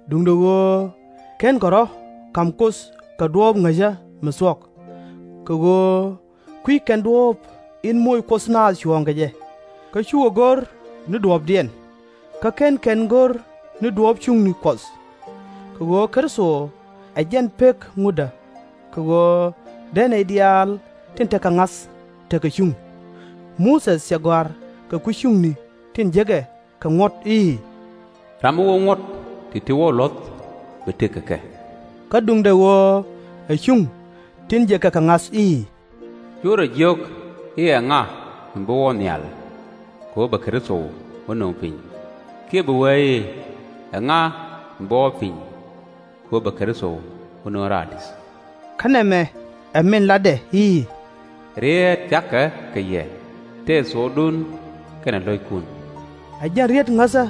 duundɛ ɣöö /kenkɛ rɔ̱ ka̱m Kuoth kɛ duɔ̱ɔ̱p ŋäcä mi thuɔ̱k. Kɛ ɣöö kui̱c kɛn duɔ̱ɔ̱p in moc Kuoth naath cuɔ̱ɔ̱ŋ kɛ jɛ, kä cukɛ go̱r ni duɔ̱ɔ̱pdiɛn, kä /ken kɛn go̱r ni duɔ̱ɔ̱p cuŋni Kuɔth. Kɛ ɣöö Kritho ɛ jɛn pek ŋutdä, kɛ ɣöö dee nɛy diaal tin tekɛ ŋa̱th tekɛ cuŋ. Muthɛ cɛ gɔ̱a̱r kɛ kui̱ cuŋni tin jekɛ kɛ ŋuɔ̱t i̱, Ram mi wä ŋuɔ̱t ti̱ti̱ wä luɔ̱th bɛ tëk kɛ kɛ. Kä duundɛ ɣöö ɛ cuŋ tin jekɛ kɛ ŋa̱th i̱, Cu rɔ jiök i̱, Ɛŋa mi bi wä nhial, kɛ ɣöö bɛ Kritho wä nöŋ piny? Kiɛ bi wee i̱, Ɛŋa mi bi wä piny, kɛ ɣöö bɛ Kritho wä nöŋ raar di̱th? Kä nɛmɛ ɛ min latdɛ i̱, Rieet thia̱kɛ kɛ yɛ tëë thokdun kɛnɛ lo̱ckun. Ɛ jɛn rieet ŋäthä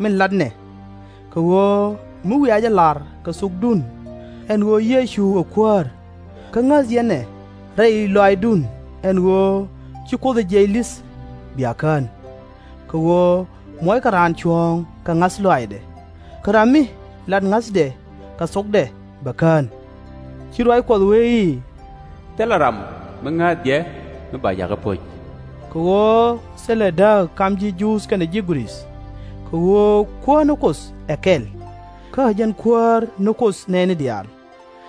min latnɛ. Kɛ ɣöö mi wiaa jɛ lar kɛ thokdun ɛn ɣöö Yecu ɛ Kuäär, kä ŋäth yɛn ɛ rɛy lɔaacdun ɛn ɣöö ci Kuoth ɛ jiɛc li̱th bia kään. Kɛ ɣöö muɔckɛ raan cuɔ̱ɔ̱ŋ kɛ ŋa̱th lɔaacdɛ, kä ram mi lat ŋa̱thdɛ kɛ thokdɛ bɛ kään. Ci ruac Kuɔth wee i̱, Thilɛ ram mi ŋäth jɛ mi ba jakä po̱c. Kɛ ɣöö thilɛ dääk kam ji̱ Juudh kɛnɛ ji̱ Grik, kɛ ɣöö Kuäär ni Kuoth ɛ kɛl, kä ɛ jɛn Kuäär ni Kuoth nɛɛni diaal,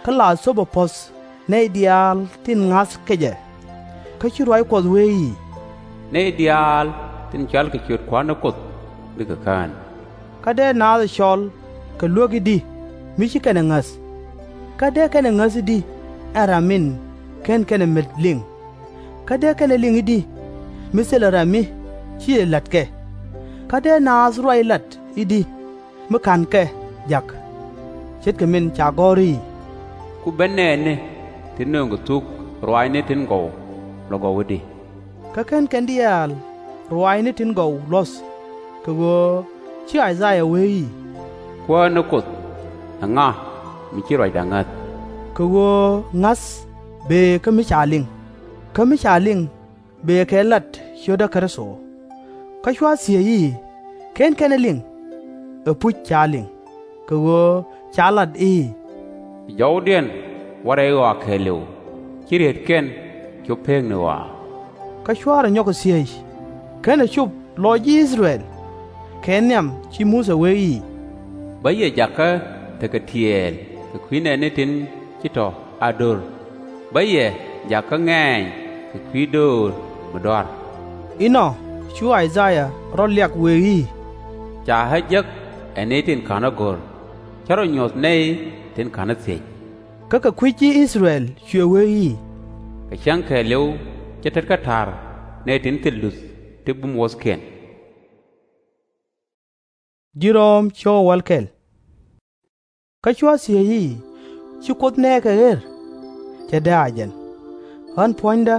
kä la thöpɛ puɔ̱th nɛy diaal tin ŋa̱th kɛ jɛ. Kä ci ruac Kuɔth wee i̱, Nɛy diaal tin cɔal kɛ ciöt Kua̱r ni Kuoth bikɛ kään. Kä dee naath ɛ cɔl kɛ luek i̱di mi ci kɛn ɛ ŋäth? Kä dee kɛn ɛ ŋäth i̱di ɛn ram min /ken kɛn ɛ met liŋ? Kä dee kɛn ɛ liŋ i̱di mi thilɛ ram mi /ciɛ la̱t kɛ? Kä dee naath ruac lat i̱di mi /ka̱n kɛ jak? Ce̱tkɛ min ca gɔ̱r i̱, Ku ben nɛɛni tin nööŋkɛ thuk ruaacni tin gɔw lɔ gɔw i̱di? Kä /ken kɛn diaal ruaacni tin gɔw luɔ̱th, kɛ ɣöö ci I-ca-yaa wee i̱, Kuäär ni Kuoth, ɛŋa mi ci ruacdä ŋäth? Kɛ ɣöö ŋa̱th bëë kä mi ca liŋ, kä mi ca liŋ bëë kɛ lat ciötdä Kritho. Kä cua thiec i̱, /Ken kɛn ɛ liŋ? Ɛpuc ca liŋ, kɛ ɣöö ca lat i̱, Jɔwdiɛn wä rɛy ɣɔaa kɛɛliw, ci rieetkiɛn cop peekni ɣɔaa. Kä cua rɔ nyɔk kɛ thiec, /kenɛ cop lɔc ji̱ I-thɛ-rɛl? Kɛ nhiam ci Muthɛ wee i̱, Bä yɛ jakä tekɛ tiɛɛl kɛ kui̱ nɛɛni tin ci tɔ̱ a do̱r, bä yɛ jakä ŋɛ̈ny kɛ kui̱ döör mi dɔ̱a̱r. Inɔ cu I-ca-yaa rɔ liak wëë i̱, Ca ɣä jek ɛ nɛy tin /ka̱nä go̱r, cä rɔ nyuɔ̱th nɛy tin /ka̱nä thiec. Kä kɛ kui̱ ji̱ I-thɛ-rɛl cuɛ wee i̱, Kɛ cäŋ kɛɛliw cä tetkä ta̱r nɛy tin thil luth ti bum wuɔ̱thkiɛn. Kä cua thiec i̱, Ci Kuoth nɛɛkɛ ɣer? Cɛ dee a jɛn, ɣän puɔ̱nydä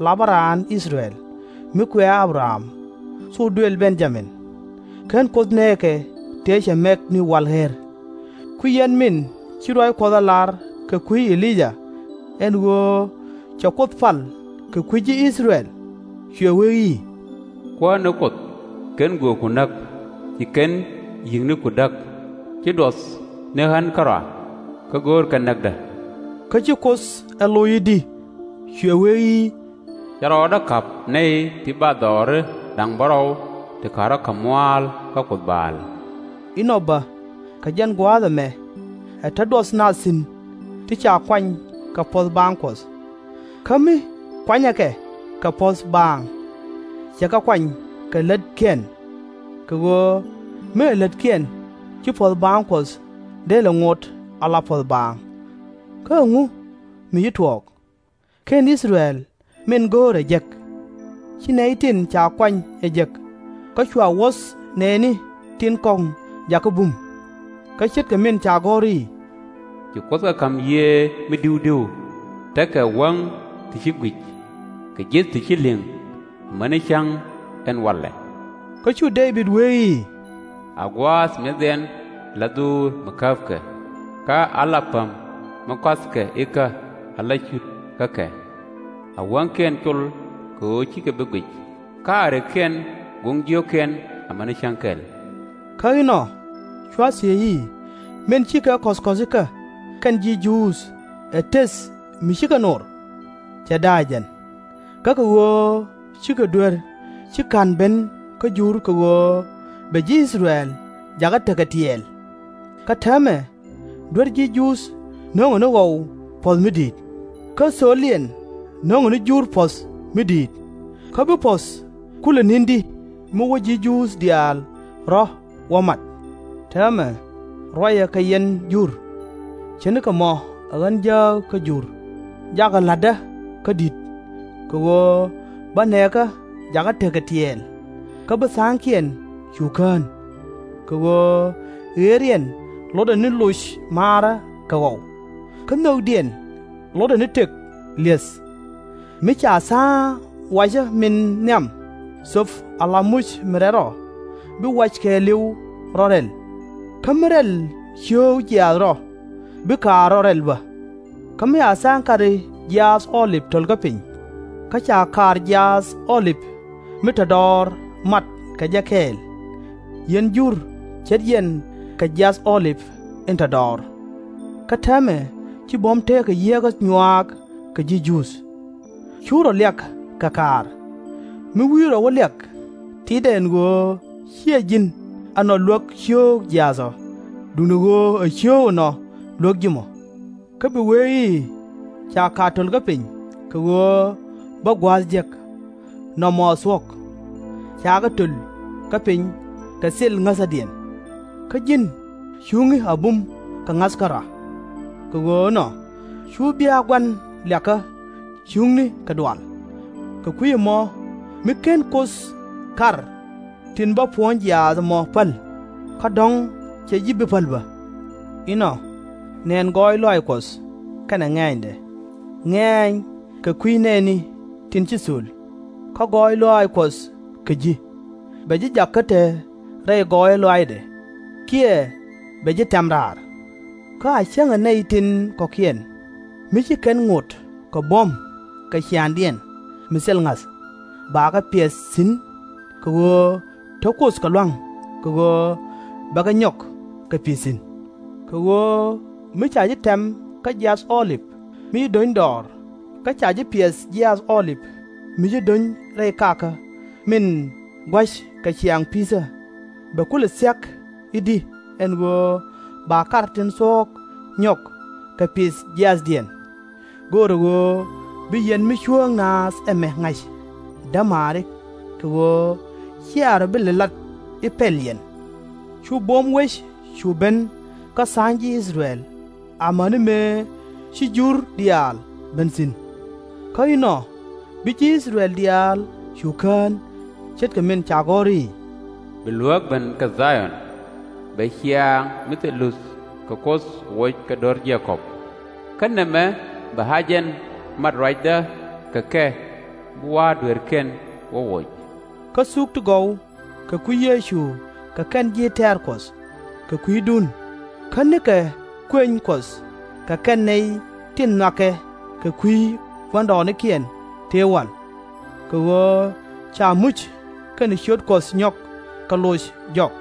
la bä raan I-thɛ-rɛl mi kuɛ A-bɛ-ram thok duël Ben-ya-min. /Ken Kuoth nɛɛkɛ tëë cɛ mɛk ni wal ɣer. Kui̱ yɛn min ci ruac Kuɔth ɛ lar kɛ kui̱ E-li-yaa ɛn ɣöö cɛ Kuoth pal kɛ kui̱ ji̱ I-thɛ-rɛl, cuɛ wee i̱, Kuäär ni Kuoth, /ken gööku näk, ci /ken yi̱k ni ku däk, ci duɔth ni ɣän kärɔa, kä go̱o̱rkɛ näkdä. Kä ci Kuoth ɛ loc i̱di? Cuɛ wee i̱, Cɛ rɔɔdä ka̱p nɛy ti bathdɔɔri da̱ŋ bärɔw ti ka̱rä ka̱m mua̱a̱l kä Kuoth Baal. Inɔ bä, kɛ jɛn gua̱a̱th ɛmɛ ɛ te duɔth naath thi̱n ti ca kuany kɛ puɔ̱th baaŋ Kuɔth. Kä mi kuanyɛ kɛ kɛ puɔ̱th baaŋ, cɛ kɛ kuany kɛ lätkiɛn. Kɛ ɣöö mi ɛ lätkiɛn, ci puɔ̱th baaŋ Kuɔth dee lɛ ŋot ala puɔ̱th baaŋ. Kä ɛŋu mi ci tuɔɔk? /Ken I-thɛ-rɛl min go̱o̱r ɛ jek? Ci nɛy tin ca kuany ɛ jek, kä cua wuɔ̱th nɛɛni tin kɔ̱ŋ jakä bum. Kä ce̱tkɛ min ca gɔ̱r i̱, Ci Kuoth kɛ ka̱m yiëë mi di̱wdi̱w, tekɛ wäŋ ti ci gui̱c, kɛ ji̱th ti ci li̱ŋ, amäni cäŋ ɛn walɛ. Kä cu Dee-bid wee i̱, A gua̱a̱th mi̱ethiɛn ala dhuur mi käpkɛ, kä ala päm mi kuathkɛ ikä ala cut kä kɛ. A wäŋkiɛn col kɛ ɣöö /cikɛ bi guic, kä a rikkiɛn goŋ jiökiɛn amäni cäŋ kɛl. Kä inɔ cua thiec i̱, min cikɛ kɔ̱th kɔ̱thikä kɛn ji̱ Juudh ɛ tëth mi cikɛ no̱r? Cɛ da̱a̱c ɛn. Kä kɛ ɣöö cikɛ duer ci /ka̱n ben kä Jur kɛ ɣöö bɛ ji̱ I-thɛ-rɛl jakä tekɛ tiɛɛl. Kä täämɛ duer ji̱ Juudh no̱ŋɛ ni ɣɔw puɔ̱th mi di̱i̱t, kä thöliɛn no̱ŋɛ ni Jur puɔ̱th mi di̱i̱t. Kä bi puɔ̱th kulɛ ni̱n di mi wä ji̱ Juudh diaal rɔ̱ wä mat? Täämɛ ruacɛ kɛ yɛn Jur, ce̱tnikɛ mɔ ɛ ɣän jääk kä Jur, jakɛ la̱tdä kä di̱t, kɛ ɣöö bä nɛɛkä jakä tekɛ tiɛɛl, kä bi tha̱a̱ŋkiɛn cu kään. Kɛ ɣöö ɣëëriɛn lotdɛ ni loc maarä kɛ ɣɔw, kä nhökdiɛn lotdɛ ni tëk li̱eth. Mi ca tha̱a̱ŋ wacä min nhiam thöp ala muc mi rɛl rɔ, bi wac kɛɛliw rɔ̱ rɛl. Kä mi rɛl cio̱o̱k jiaath rɔ, bi kaar rɔ̱ rɛl bä. Kä mi a tha̱a̱ŋ kari jiaath Ɔɔlip töl kä piny, kä ca kaar jiaath Ɔɔlip mi te dɔɔr mat kɛ jɛ kɛɛl, yɛn Jur ce̱t yɛn kɛ jiaath Ɔɔlip in te dɔɔr. Kä täämɛ ci buɔ̱m teekä yieekä nyuaak kɛ ji̱ Juudh. Cu rɔ liak kɛ kaar. Mi wi̱i̱ rɔ wä liak, titdɛ ɛn ɣöö /ciɛ ji̱n ɛnɔ luäk cio̱o̱k jiaath ɔ, duundɛ ɣöö ɛ cio̱o̱k ɛnɔ luäk ji̱ mɔ. Kä bi wee i̱, ca kaar töl kä piny kɛ ɣöö bä gua̱a̱th jek, nɔmɔ ɛ thuɔ̱k. Cakɛ töl kä piny kɛ thil ŋäthädiɛn. Kä ji̱n cuŋni a bum kɛ ŋa̱th kärɔa. Kɛ ɣöö ɛnɔ cu bia gua̱n liakä cuŋni kɛ dual. Kɛ kui̱ ɛmɔ mi /ken Kuoth kar tin bä puɔ̱ny jiaath ɛmɔ päl, kä dɔ̱ŋ /cɛ ji̱ bi päl bä. Inɔ, nɛn gɔɔy lɔaac Kuɔth kɛnɛ ŋɛ̈ɛ̈nydɛ. Ŋɛ̈ɛ̈ny kɛ kui̱ nɛɛni tin ci thöl, kä gɔɔy lɔaac Kuɔth kɛ ji̱. Bɛ ji̱ jak kä te rɛy gɔɔyä lɔaacdɛ, kiɛ bɛ ji̱ tɛ̈m raar. Kä a cäŋɛ nɛy tin kɔ̱kiɛn, mi ci kɛn ŋot kɛ buɔ̱m kɛ ciaaŋdiɛn mi thil ŋa̱th, bakɛ piɛth thi̱n, kɛ ɣöö te Kuoth kɛ lua̱ŋ, kɛ ɣöö bɛ kɛ nyɔk kɛ pi̱th thi̱n. Kɛ ɣöö mi ca ji̱ tɛ̈m kä jiaath Ɔɔlip mi ci do̱ny dɔɔr, kä ca ji̱ piɛth jiaath Ɔɔlip mi ci do̱ny rɛy kakä min gua̱c kɛ ciaaŋ pi̱thä, bɛ kulɛ thia̱k i̱di ɛn ɣöö ba kar tin thuɔ̱k nyɔk kɛ pi̱th jiaathdiɛn? Go̱o̱rɛ ɣöö bi yɛn mi cuääŋ naath ɛmɛ ŋa̱c, dämaari, kɛ ɣöö /cia rɔ bi lɛ lat i̱ pɛl yɛn. Cu buɔ̱m wec cu ben kä tha̱a̱ŋ ji̱ I-thɛ-rɛl, amäni mëë ci Jur diaal ben thi̱n. Kä inɔ bi ji̱ I-thɛ-rɛl diaal cu kään, ce̱tkɛ min ca gɔ̱r i̱, Bi luääk ben kä Dha-yɔn, bɛ ciaaŋ mi thil luth kɛ Kuoth woc kɛ do̱r Je-kɔb. Kä nɛmɛ bɛ A-jɛn mat ruacdä kɛ kɛ, bi wa̱a̱ dueerkiɛn wä woc. Kä thuk ti gɔw kɛ kui̱ Yecu kɛ kɛn ji̱ tɛ̈r Kuɔth kɛ kui̱dun, kä nikɛ kuëny Kuɔth kɛ kɛn nɛy tin nhɔakɛ kɛ kui̱ gua̱ndɔɔŋnikiɛn tëë wal. Kɛ ɣöö ca muc kɛnɛ ciöt Kuɔth nyɔk kɛ loc jɔk.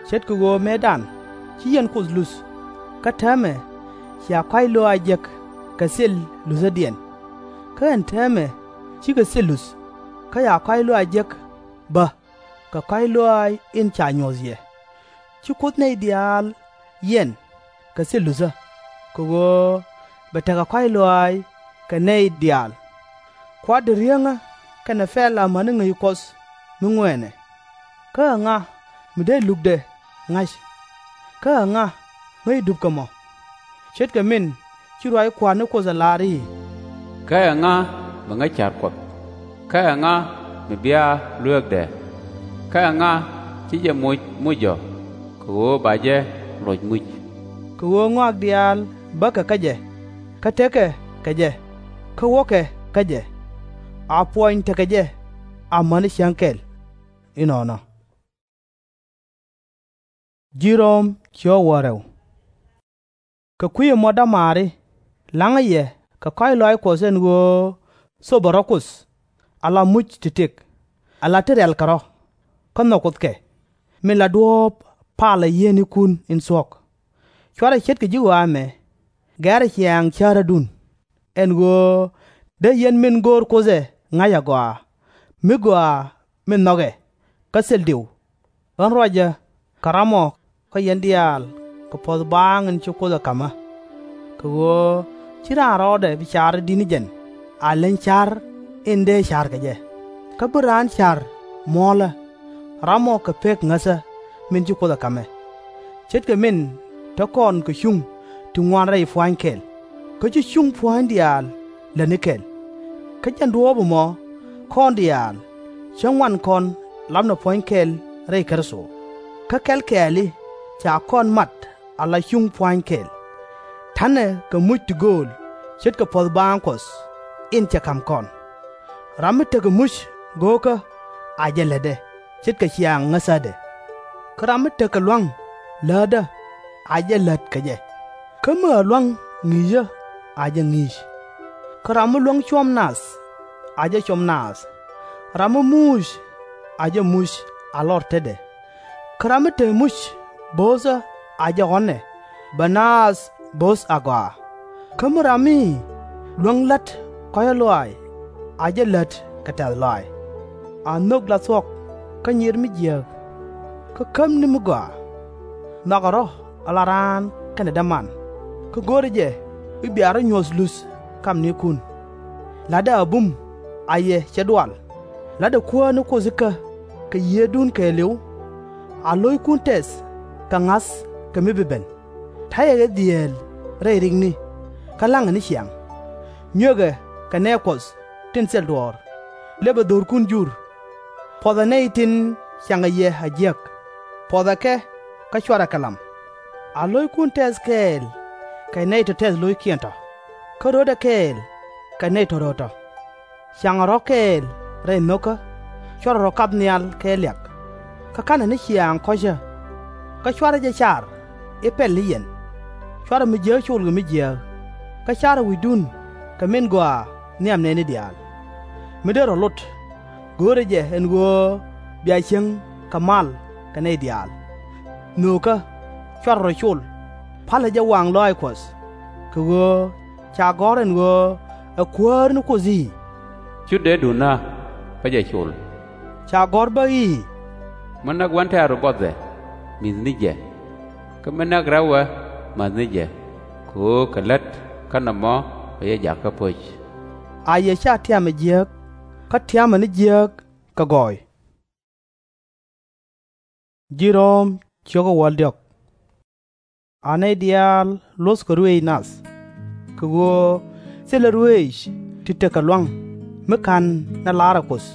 Ce̱tkɛ ɣöö mëëdan ci yɛn Kuoth luth, kä täämɛ cia kɔ̱a̱c lɔaac jek kɛ thil luthädiɛn. Kä ɛn täämɛ cikɛ thil luth, kä ca kɔ̱a̱c lɔaac jek bä kɛ kɔ̱a̱c lɔaac in ca nyuɔ̱th yɛ. Ci Kuoth nɛy diaal yiɛn kɛ thil luthä, kɛ ɣöö bɛ tekɛ kɔ̱a̱c lɔaac kɛ nɛy diaal. Kua̱r dee riäŋä kɛnɛ pɛl amäni ŋäc Kuɔth mi ŋuɛɛnɛ. Kä ɛ ŋa mi dee lukdɛ ŋa̱c? Kä ɛ ŋa ŋäc dup kɛ mɔ? Ce̱tkɛ min ci ruac Kua̱r ni Kuoth ɛ lar i̱, Kä ɛ ŋa mi ŋäc ca̱r Kuɔth? Kä ɛ ŋa mi bia lueekdɛ? Kä ɛ ŋa ci jɛ moc mucdɔ, kɛ ɣöö ba jɛ lɔc muc? Kɛ ɣöö ŋɔak diaal bäkɛ kä jɛ, kä tekɛ kɛ jɛ, kä wäkɛ kä jɛ. A puɔny tekɛ jɛ amäni cäŋ kɛl. Inɔnɔ. Kɛ kui̱ ɛmɔ, dämaari, la̱ŋä yɛ kɛ kɔ̱a̱c lɔaac Kuɔth ɛn ɣöö thopɛ rɔ̱ Kuoth, ala muc ti tëk, ala ti rɛ̈lkɛ rɔ̱, kä nhɔk Kuoth kɛ. min la duɔ̱ɔ̱p palä yiëënikun in thuɔ̱k. /Cuarɛ ce̱tkɛ ji̱ ɣɔaa ɛmɛ, gɛ̈rɛ ciaŋ cärädun, ɛn ɣöö dee yɛn min go̱o̱r Kuoth ɛ ŋa̱c agɔaa, mi gɔaa min nhɔkɛ, kä thil diw. Ɣän ruacä kɛ ram ɔ kä yɛn diaal kɛ puɔ̱th baaŋ in ci Kuoth ɛ ka̱m ɣä. Kɛ ɣöö /ci raan rɔɔdɛ bi car i̱ di̱t ni jɛn a leny ca̱r in dee ca̱r kɛ jɛ, kä bi raan ca̱r muɔ̱ɔ̱lä, ram ɔ kɛ pek ŋäthä min ci Kuoth ɛ ka̱m ɛ. Ce̱tkɛ min te kɔn kɛ cuŋ ti ŋuan rɛy pua̱a̱ny kɛl, kä ci cuŋ pua̱a̱ny diaal lätni kɛl. Kä jɛn duɔ̱ɔ̱p ɛmɔ kɔn diaal cä ŋuan kɔn lapnɛ puɔ̱ny kɛl rɛy Kritho, kä kɛl kɛɛli ca kɔn mat ala cuŋ pua̱a̱ny kɛl. Ta̱nɛ kɛ muc ti gööl ce̱tkɛ puɔ̱th baaŋ Kuɔth in cɛ ka̱m kɔn. Ram mi tekɛ muc go̱o̱kä a jɛ lätdɛ ce̱tkɛ ciaŋ ŋäthädɛ. Kä ram mi tekɛ lua̱ŋ läätdä a jɛ lät kɛ jɛ. Kä mi ɣä lua̱ŋ ŋi̱i̱cä a jɛ ŋi̱i̱c. Kä ram mi luäŋ cuɔ̱m nath a jɛ com naath. Ram mi muc a jɛ muc a lɔr tetdɛ. Kä ram mi te muc bo̱o̱thä a jɛ ɣɔ̱nɛ bɛ naath bo̱o̱th agɔaa. Kä mi ram mi luäŋ la̱t kɔ̱cä lɔaac a jɛ lät kɛ tɛ̈th lɔaac. A nhök la thuɔ̱k kä nyir mi jiääk, kä kämni mi gɔaa. Nhɔakɛ rɔ̱ ala raan kɛnɛ däman, kä go̱o̱rɛ jɛ i̱ bia rɔ̱ nyuɔ̱th luth kamnikun. La̱tdɛ a bum a yɛ cɛ dual. La̱tdɛ Kuäär ni Kuoth ikä kɛ Yiëëdun kɛɛliw. A lo̱ckun tɛth kɛ ŋa̱th kɛ mi bi ben. Ta̱yɛ ɣɛ dhieel rɛy rikni, kä la̱ŋɛ ni ciaŋ. Nyuekɛ kɛ nɛɛ Kuɔth tin thil duɔ̱ɔ̱r, lëpɛ dho̱rkun jur. Puɔ̱thɛ nɛy tin ciaŋɛ yɛ a jiäk. Puɔ̱thɛ kɛ kä /cuarɛ kɛ lam. A lo̱ckun tɛth kɛɛl kɛ nɛy tɔ̱ tɛth lo̱ckiɛn tɔ̱, kä rötdɛ kɛɛl kɛ nɛy tɔ̱ röt tɔ̱. Caŋɛ rɔ̱ kɛɛl rɛy nho̱kä, /cuarɛ rɔ̱ kap nhial kɛ liak. Kä ka̱nɛ ni ciaŋ kɔ̱cä, kä /cuarɛ jɛ car i̱ pɛl ni yɛn. /Cuarɛ mi jiääk col kɛ mi jiääk, kä /carɛ wi̱cdun kɛ min gɔaa nhiam nɛɛni diaal. Mi dee rɔ̱ lot, go̱o̱rɛ jɛ ɛn ɣöö bia cieŋ kɛ mal kɛ nɛy diaal. Nhöökä, /cuarɛ rɔ̱ col, pa̱lɛ jɛ waŋ lɔaac Kuɔth. Kɛ ɣöö ca gɔ̱r ɛn ɣöö ɛ Kuäär ni Kuoth i̱, Cu dee duŋdä bä jɛ col. Ca gɔ̱r bä i̱, Mi näk wän tɛ̈ru buɔthɛ, mi̱th ni jɛ. Kä mi näk rɛwɛ, mäth ni jɛ. Kɛ ɣöö kɛ lät kä nɔmɔ ɛ yɛ jakä po̱c. A yɛ /ca tiamɛ jiääk, kä tiamɛ ni jiääk kɛ gɔɔy. A nɛy diaal luɔ̱thkɛ ruëëc nath, kɛ ɣöö thilɛ ruëëc ti tekɛ lua̱ŋ mi /ka̱n nɛ la̱rä Kuoth,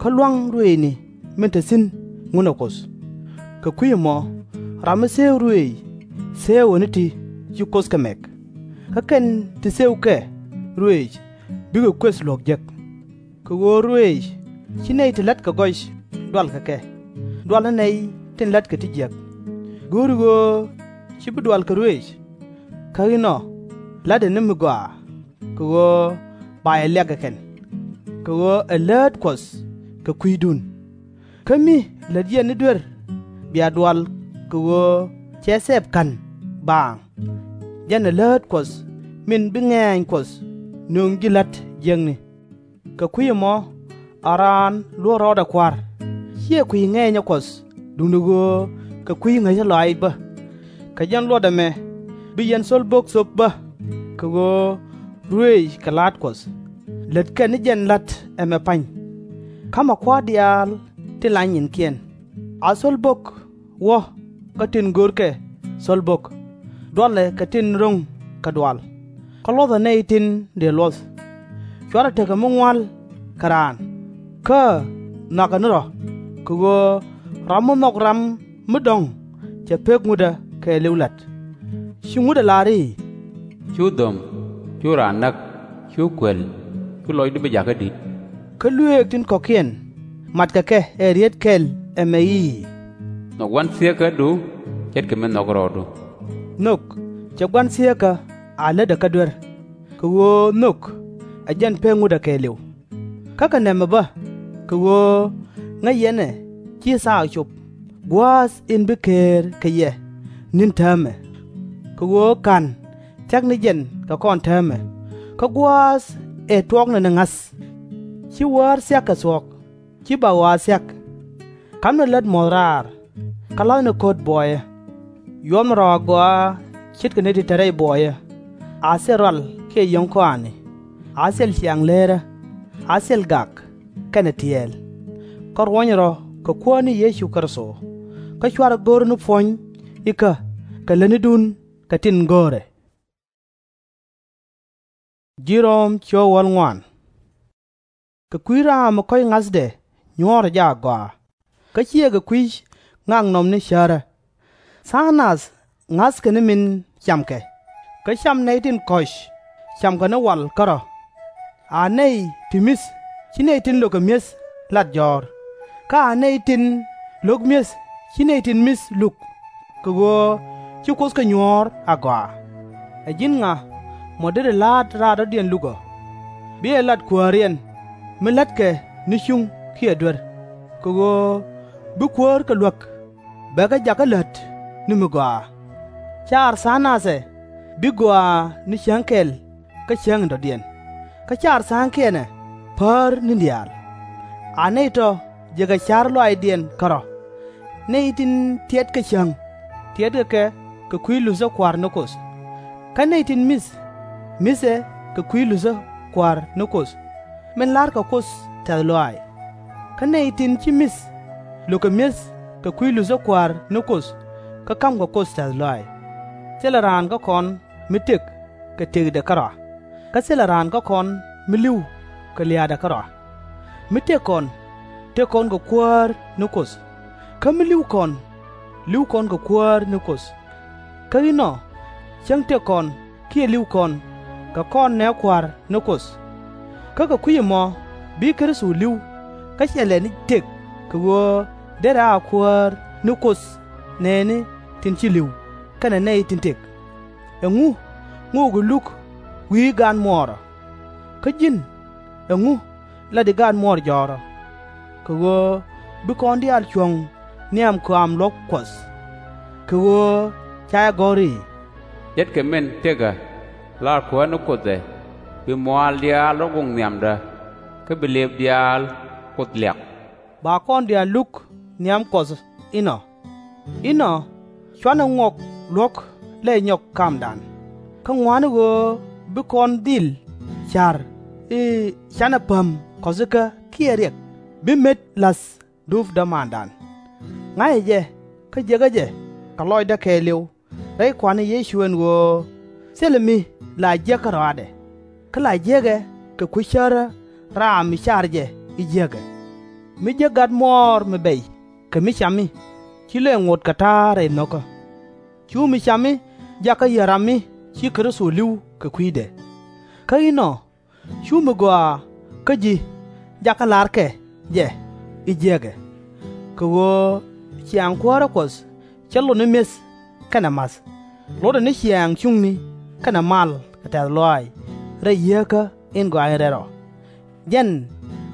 kä lua̱ŋ ruëëcni min te thi̱n Ŋun ɛ Kuoth. Kɛ kui̱ ɛmɔ, ram mi thëëk ruëëc thëëkɛ ni ti ci Kuoth kɛ mɛk. Kä kɛn ti thëëkɛ ruëëc bikɛ kuëth luɔ̱k jek. Kɛ ɣöö ruëëc /ci nɛy ti la̱tkɛ gɔc dual kɛ kɛ, dualɛ nɛy tin la̱tkɛ ti jiäk. Go̱o̱ri ɣöö /ci bi dual kɛ ruëëc? Kä inɔ la̱tdɛ ni mi gɔaa, kɛ ɣöö ba yɛ liak kɛ kɛn. Kɛ ɣöö ɛ läät Kuɔth kɛ kui̱dun. Kä mi lät yɛn ni duer bia dual kɛ ɣöö cɛ thɛp ka̱n baaŋ. Jɛn ɛ läät Kuɔth min bi ŋɛ̈ny Kuɔth nöŋ ji̱ la̱t jiäkni. Kɛ kui̱ ɛmɔ, a raan luɔ̱k rɔɔdɛ Kua̱r, /ciɛ kui̱ ŋɛɛnyä Kuɔth duundɛ ɣöö kɛ kui̱ ŋäcä lɔaac bä. Kɛ jɛn luɔt ɛmɛ bi yɛn thöl bo̱k thöp bä, kɛ ɣöö ruëëc kɛ la̱a̱t Kuɔth, lät kɛn ni jɛn la̱t ɛmɛ pa̱ny. Ka̱mɛ kua̱r diaal tin la nyinkiɛn. A thöl bo̱k wä kä tin görkɛ thöl bo̱k, dualɛ kɛ tin ro̱ŋ kɛ dual, kä luɔ̱thɛ nɛy tin dëë luɔ̱th. /Cuarɛ tekɛ mi ŋua̱l kɛ raan, kä nhɔakɛ ni rɔ̱, kɛ ɣöö ram mi nhɔk ram mi dɔ̱ŋ cɛ pek ŋutdä kɛɛliw la̱t. Ci ŋutdä lar i̱, Cu dho̱m, cu raan näk, cu kuël, cu lɔcdu bi jakä di̱t. Kä luëëk tin kɔ̱kiɛn matkɛ kɛ ɛ rieet kɛl ɛmɛ i̱, Nhök gua̱n thieekädu ce̱tkɛ mi nhɔk rɔɔdu. Nhök cɛ gua̱n thieekä a lätdɛ kä duer, kɛ ɣöö nhök ɛ jɛn pek ŋutdä kɛɛliw. Kä kɛ nɛmɛ bä, kɛ ɣöö ŋäc yɛn ɛ /ci thaak cop, gua̱a̱th in bi keer kɛ yɛ ni̱n täämɛ. Kɛ ɣöö /ka̱n thia̱k ni jɛn kɛ kɔn täämɛ, kä gua̱a̱th ëë tuɔɔknɛ ni ŋa̱th. /Ci wäär thia̱k kɛ thuɔ̱k, /ci bak ɣɔaa thia̱k. Ka̱mnɛ lät muɔ̱th raar, kä la̱thni ko̱t buɔyä. Yuɔpnɛ rɔ̱ agɔaa ce̱tkɛ nɛy tin te rɛy buɔyä, a thil rual kiɛ yio̱w kɔaani, a thil ciaŋ leerä, a thil gak, kɛnɛ tiɛɛl. Kä ruɔ̱ny rɔ̱ kɛ Kuäär ni Yecu Kritho, kä /cuarɛ go̱r ni puɔ̱ny ikä kɛ lätnidun kɛ tin go̱o̱rɛ. Kɛ kui̱ ram mi kɔ̱c ŋa̱thdɛ nyuɔ̱ɔ̱rɛ jɛ agɔaa, kä /ciɛ kɛ kui̱ ŋaknɔmni cärä. Tha̱a̱ŋ nath ŋa̱thkɛ ni min camkɛ, kä cam nɛy tin kɔ̱c camkɛ ni wal kärɔ̱. A nɛy ti mi̱th /ci nɛy tin lökɛ mi̱eth lat jɔ̱ɔ̱r, kä a nɛy tin lo̱k mi̱eth /ci nɛy tin mi̱th luk, kɛ ɣöö ci Kuoth kɛ nyuɔ̱ɔ̱r agɔaa. Ɛ ji̱n ŋa mɔ deri la̱a̱t raar dɔ̱diɛn luk ɔ? Bi ɛ lat kuääriɛn mi lätkɛ ni cuŋ kiɛ duer, kɛ ɣöö bi kuäär kɛ luäk, bɛ kɛ jakä lät ni mi gɔaa. Caar tha̱a̱ŋ nath ɛ bi gɔaa ni cäŋ kɛl kä cäŋ in dɔ̱diɛn, kä caar tha̱a̱ŋkiɛn ɛ päär ni̱n diaal. A nɛy tɔ̱ jëkɛ ca̱r lɔaacdiɛn kärɔ̱. Nɛy tin tiɛtkɛ cäŋ, tiɛtkɛ kɛ kɛ kui̱ luthä Kua̱r ni Kuoth. Kä nɛy tin mi̱th, mi̱thɛ kɛ kui̱ luthä Kua̱r ni Kuoth, min la̱rkɛ Kuoth tɛ̈th lɔaac. Kä nɛy tin /ci mi̱th, lökɛ mi̱eth kɛ kui̱ luthä Kua̱r ni Kuoth, kä ka̱mkɛ Kuoth tɛ̈th lɔaac. Thilɛ raan kä kɔn mi tëk kɛ tëkdɛ kärɔa, kä thilɛ raan kä kɔn mi li̱w kɛ lia̱a̱dɛ kärɔa. Mi tëk kɔn, tëk kɔn kɛ Kuäär ni Kuoth, kä mi li̱w kɔn, li̱w kɔn kɛ Kuäär ni Kuoth. Kä inɔ, cäŋ tëk kɔn kiɛ li̱w kɔn, kɛ kɔn nɛɛ Kua̱r ni Kuoth. Kä kɛ kui̱c ɛmɔ bi Kritho li̱w, kä /cɛ lɛ ni tëk, kɛ ɣöö derɛ a Kuäär ni Kuoth nɛɛni tin ci li̱w, kɛnɛ nɛy tin tëk. Ɛŋu ŋotdi luk wi̱i̱ gaat muɔɔr ɔ? Kä ji̱n, ɛŋu lat i̱ gaat muɔɔr jɔ̱ɔ̱r ɔ? Kɛ ɣöö bi kɔn diaal cuɔ̱ŋ nhiam kɔaam luɔ̱k Kuɔth. Kɛ ɣöö ca jɛ gɔ̱r i̱, Ce̱tkɛ min tëkä, laar Kuäär ni Kuoth ɛ, bi muaal diaal rɔ̱ goŋ nhiamdä, kä bi lëëp diaal Kuoth liak. Ba kɔn diaal luk nhiam Kuɔth inɔ. Inɔ, cuanɛ ŋuɔk luɔ̱k lɛy nyɔk kamdan, kä ŋɔaani ɣöö bi kɔn dhil ca̱r i̱ canɛ päm kɔ̱thikä kiɛ riɛk, bi met la̱th dup dämandan. Ŋa̱cɛ jɛ, kä jiekä jɛ kɛ lɔcdä kɛɛliw rɛy Kua̱r ni Yecu, ɛn ɣöö thilɛ mi la jiäk kärɔaadɛ, kä la jiäkɛ kɛ kui̱ cärä ram mi car jɛ i̱ jiäkɛ. Mi jek gat muɔɔr mi bɛc kɛ mi cami, /ci lëë ŋot kɛ ta̱a̱ rɛy nho̱kä. Cu mi cami jakä yär ram mi ci Kritho li̱w kɛ kui̱dɛ. Kä inɔ, cu mi gɔaa kä ji̱ jakä la̱rkɛ jɛ i̱ jiäkɛ. Kɛ ɣöö ciaŋ kuäärä Kuɔth /cɛ lot ni mi̱eth kɛnɛ ma̱th, lotdɛ ni ciaŋ cuŋni kɛnɛ mal kɛ tɛ̈th lɔaac rɛy Yieekä in Gɔaa in Rɛl Rɔ. Jɛn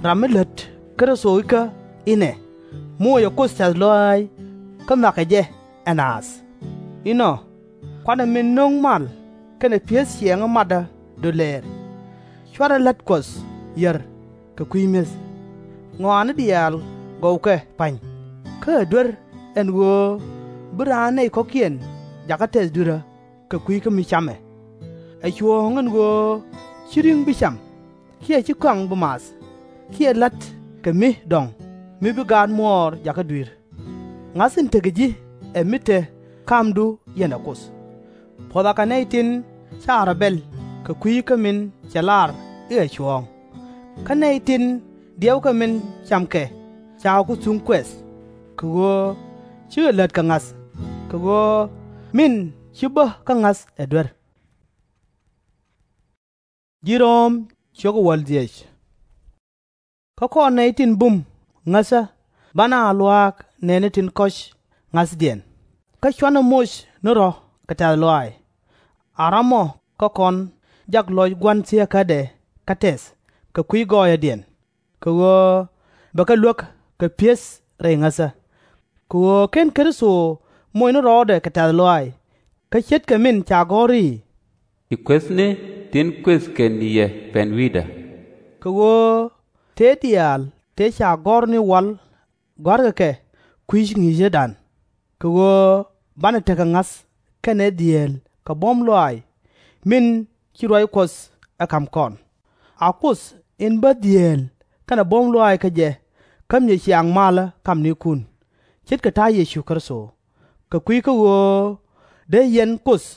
ram mi lät Kritho ikä inɛ, moocɛ Kuoth tɛ̈th lɔaac, kä nhɔakɛ jɛ ɛ naath. Inɔ, kuanɛ min no̱o̱ŋ mal kɛnɛ pi̱eth ciɛɛŋä matdä dɔlɛɛr. /Cuarɛ lät Kuɔth yär kɛ kui̱ mi̱eth. Ŋɔaani diaal gɔwkɛ pa̱ny, kä ɛ duer, ɛn ɣöö bi raan nɛy kɔ̱kiɛn jakä tɛth dui̱rä kɛ kui̱ kä mi camɛ. Ɛ cuɔ̱ɔ̱ŋ ɛn ɣöö /ci ri̱ŋ bi cam, kiɛ /ci kɔaŋ bi math, kiɛ la̱t kɛ mi dɔ̱ŋ mi bi gaat muɔɔr jakä dui̱r. Ŋa̱th in tekɛ ji̱ ɛ mi te kamdu yɛnɛ Kuoth. Puɔ̱th akɛ nɛy tin /ca rɔ̱ bɛl kɛ kui̱ kä min cɛ lar i̱ ɛ cuɔ̱ɔ̱ŋ, kä nɛy tin diɛwkɛ min camkɛ /ca ku thuŋ kuɛth, kɛ ɣöö /cikɛ lät kɛ ŋa̱th, kɛ ɣöö min ci bä kä ŋa̱th ɛ duer. Kä kɔn nɛy tin bum ŋäthä banɛ a luaak nɛɛni tin kɔ̱c ŋa̱thdiɛn, kä cuanɛ moc ni rɔ̱ kɛ tɛ̈th lɔaac. A ram ɔ kä kɔn jak lɔc Gua̱n thieekädɛ kä tɛth kɛ kui̱ gɔɔyädiɛn, kɛ ɣöö bɛ kɛ luäk kɛ pi̱eth rɛy ŋäthä. Kɛ ɣöö /ken Kritho moc ni rɔɔdɛ kɛ tɛ̈th lɔaac. Kä ce̱tkɛ min ca gɔ̱r i̱, Ci kuethni tin kuëth kɛn yɛ pɛn wi̱i̱dä. Kɛ ɣöö tëë diaal tëë ca gɔ̱r ni wal gɔ̱a̱rkɛ kɛ kui̱c ŋi̱i̱cädan, kɛ ɣöö banɛ tekɛ ŋa̱th kɛnɛ dhieel kɛ buɔ̱m lɔaac min ci ruac Kuɔth ɛ ka̱m kɔn. A Kuoth in bä dhieel kɛnɛ buɔ̱m lɔaac kä jɛ, kä mi cɛ ciaŋ malä kamnikun, ce̱tkɛ ta̱a̱ Yecu Kritho. Kɛ kui̱ kä ɣöö dee yɛn Kuoth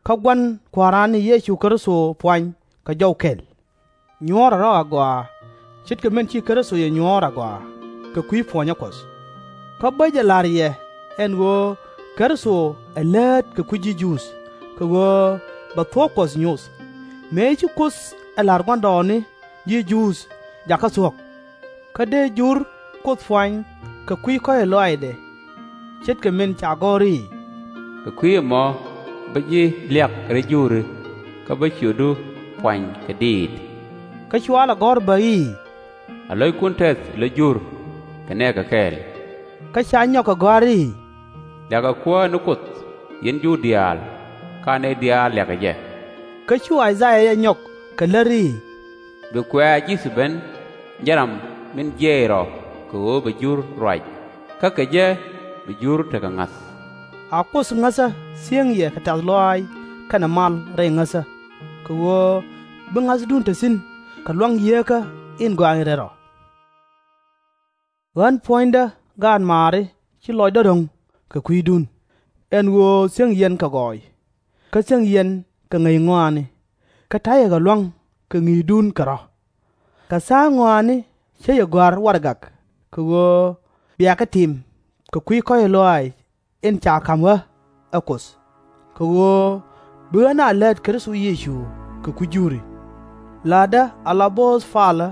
kä Gua̱n Kua̱ran ni Yecu Kritho puany kɛ jɔw kɛl. Nyuɔ̱ɔ̱rɛ rɔ̱ agɔaa, ce̱tkɛ min ci Kritho yɛ nyuɔ̱ɔ̱r agɔaa kɛ kui̱ puɔ̱nyä Kuɔth. Kä bä jɛ la̱r yɛ ɛn ɣöö Kritho ɛ läät kɛ kui̱ ji̱ Juudh, kɛ ɣöö bɛ thuɔ̱k Kuɔth nyoth. Mëë ci Kuoth ɛ la̱r gua̱ndɔɔŋni ji̱ Juudh jakä thuɔ̱k, kä dee Jur Kuoth puany kɛ kui̱ kɔ̱cä lɔaacdɛ, ce̱tkɛ min ca gɔ̱r i̱, Kɛ kui̱ ɛmɔ bä ji̱ liak rɛy Juri, kä bä ciötdu puany kɛ diit. Kä cua lɛ gɔ̱r bä i̱, A lo̱ckun tɛth la Jur kɛ nɛɛkɛ kɛɛl. Kä ca nyɔk kɛ gɔ̱a̱r i̱, Liakɛ Kuäär ni Kuoth, yɛn Jur diaal, kä a nɛy diaal liakɛ jɛ. Kä cu I-ca-yaa jɛ nyɔk kɛ lät i̱, Bi Kuɛ Yecu ben, jɛn ram min jiɛc rɔ kɛ ɣöö bɛ Jur ruac, kä kɛ jɛ bi Jur tekɛ ŋa̱th. A Kuoth ŋäthä thiäŋ yɛ kɛ tɛ̈th lɔaac kɛnɛ mal rɛy ŋäthä, kɛ ɣöö bi ŋa̱thdun te thi̱n kɛ lua̱ŋ Yieekä in Gɔaa in Rɛl Rɔ. Ɣän puɔ̱nydä gaatmaari ci lɔcdä ro̱ŋ kɛ kui̱dun, ɛn ɣöö thiäŋ yɛn kɛ gɔɔy, kä thiäŋ yɛn kɛ ŋäc ŋɔaani, kä ta̱yɛ kɛ lua̱ŋ kɛ ŋi̱i̱cdun kɛ rɔ̱. Kɛ tha̱a̱ŋ ŋɔaani cä yɛ gɔ̱a̱r warɛgak, kɛ ɣöö bia kɛ tim kɛ kui̱ kɔ̱cä lɔaac in ca ka̱m ɣä ɛ Kuoth, kɛ ɣöö bi ɣän a läät Kritho Yecu kɛ kui̱ Juri. La̱tdä ala bo̱o̱th palä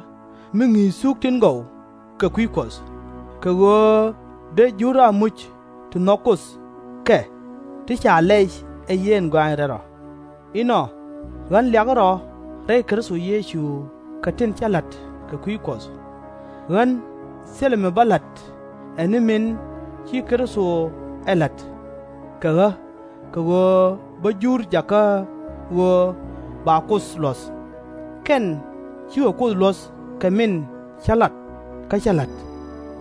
mi ŋi̱i̱c thuk tin gɔw kɛ kui̱ Kuɔth, kɛ ɣöö dee Jur a muc ti nhɔk Kuoth kɛ ti ca lɛc ɛ yɛn Gɔaa in Rɛl Rɔ. Inɔ, ɣän liakä rɔ rɛy Kritho Yecu kɛ tin cä la̱t kɛ kui̱ Kuɔth. Ɣän thilɛ mi bä la̱t ɛ ni min ci Kritho ɛ la̱t kɛ ɣä, kɛ ɣöö bä Jur jakä ɣöö ba Kuoth luɔ̱th. Kɛn cikɛ Kuoth luɔ̱th kɛ min cä lat kä cä la̱t,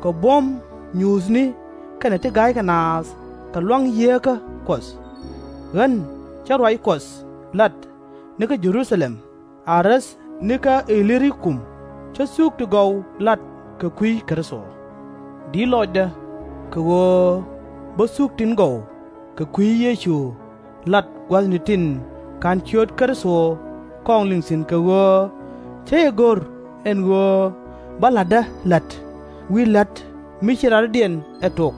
kɛ buɔ̱m nyuuthni kɛnɛ ti ga̱ykɛ naath kɛ lua̱ŋ Yieekä Kuɔth. Ɣän cä ruac Kuɔth lat nikä Jɛ-ru-tha-lɛm, a räth nikä I-li-ri-kum, cä thuk ti gɔw lat kɛ kui̱ Kritho. Di̱t lɔcdä, kɛ ɣöö bä thuk tin gɔw kɛ kui̱ Yecu lat gua̱thni tin /ka̱n ciöt Kritho kɔŋ liŋ thi̱n, kɛ ɣöö cä jɛ go̱r ɛn ɣöö bä la̱tdä la̱t wi̱i̱ la̱t mi ci rɔ̱diɛn ɛ tok.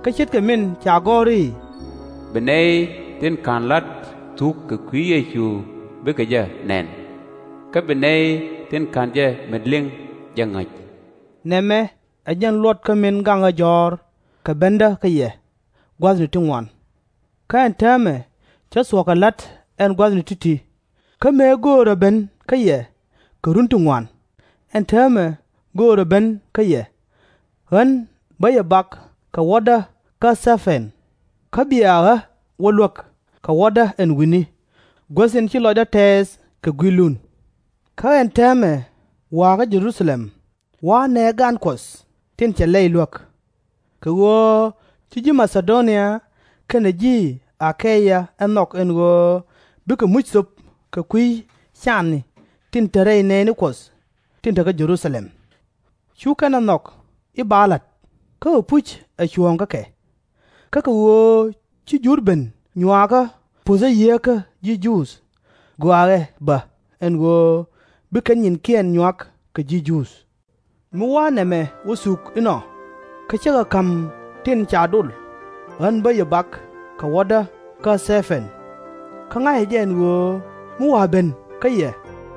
Kä ce̱tkɛ min ca gɔ̱r i̱, Bi nɛy tin /ka̱n la̱t thuk kɛ kui̱ Yecu bikɛ jɛ nɛn, kä bi nɛy tin /ka̱n jɛ met liŋ jɛ ŋäc. Nɛmɛ ɛ jɛn luɔt kä min gaŋ ɣä jɔ̱ɔ̱r kɛ bendä kä yɛ gua̱thni ti ŋuan. Kä ɛn täämɛ cä thuɔ̱k kɛ la̱t ɛn gua̱thni ti̱ti̱, kä mëë göörä ben kä yɛ kɛ run ti ŋuan, ɛn täämɛ göörä ben kä yɛ. Ɣän bä yɛ bak kɛ wädä kä Thɛ-pɛn, kä bia ɣä wä luäk kɛ wädä ɛn wi̱ni, guäth in ci lɔcdä tɛɛth kɛ gui̱lun. Kä ɛn täämɛ wa̱a̱ kä Jɛ-ru-tha-lɛm, wa̱a̱ nɛɛk gan Kuɔth tin cɛ lɛy luäk. Kɛ ɣöö ci ji̱ Ma-tha-do-nia kɛnɛ ji̱ A-kay-ya ɛ nhɔk ɛn ɣöö bikɛ muc thöp kɛ kui̱ canni tin te rɛy nɛɛni Kuɔth tin te kä Jɛ-ru-tha-lɛm. Cu kɛn ɛ nhɔk i̱ ba la̱t, kä ɛpuc ɛ cuɔ̱ɔ̱ŋ kä kɛ. Kä kɛ ɣöö ci Jur ben nyuaakä puɔ̱thä Yieekä ji̱ Juudh, gɔaa ɛ bä ɛn ɣöö bi kɛn nyinkiɛn nyuak kɛ ji̱ Juudh. Mi wa̱a̱ nɛmɛ wä thuk inɔ, kä cä kɛ ka̱m tin ca dol, ɣän bä yɛ bak kɛ wädä kä Thɛ-pɛn. Kä ŋa̱cä jɛ ɛn ɣöö mi wa̱a̱ ben kä yɛ,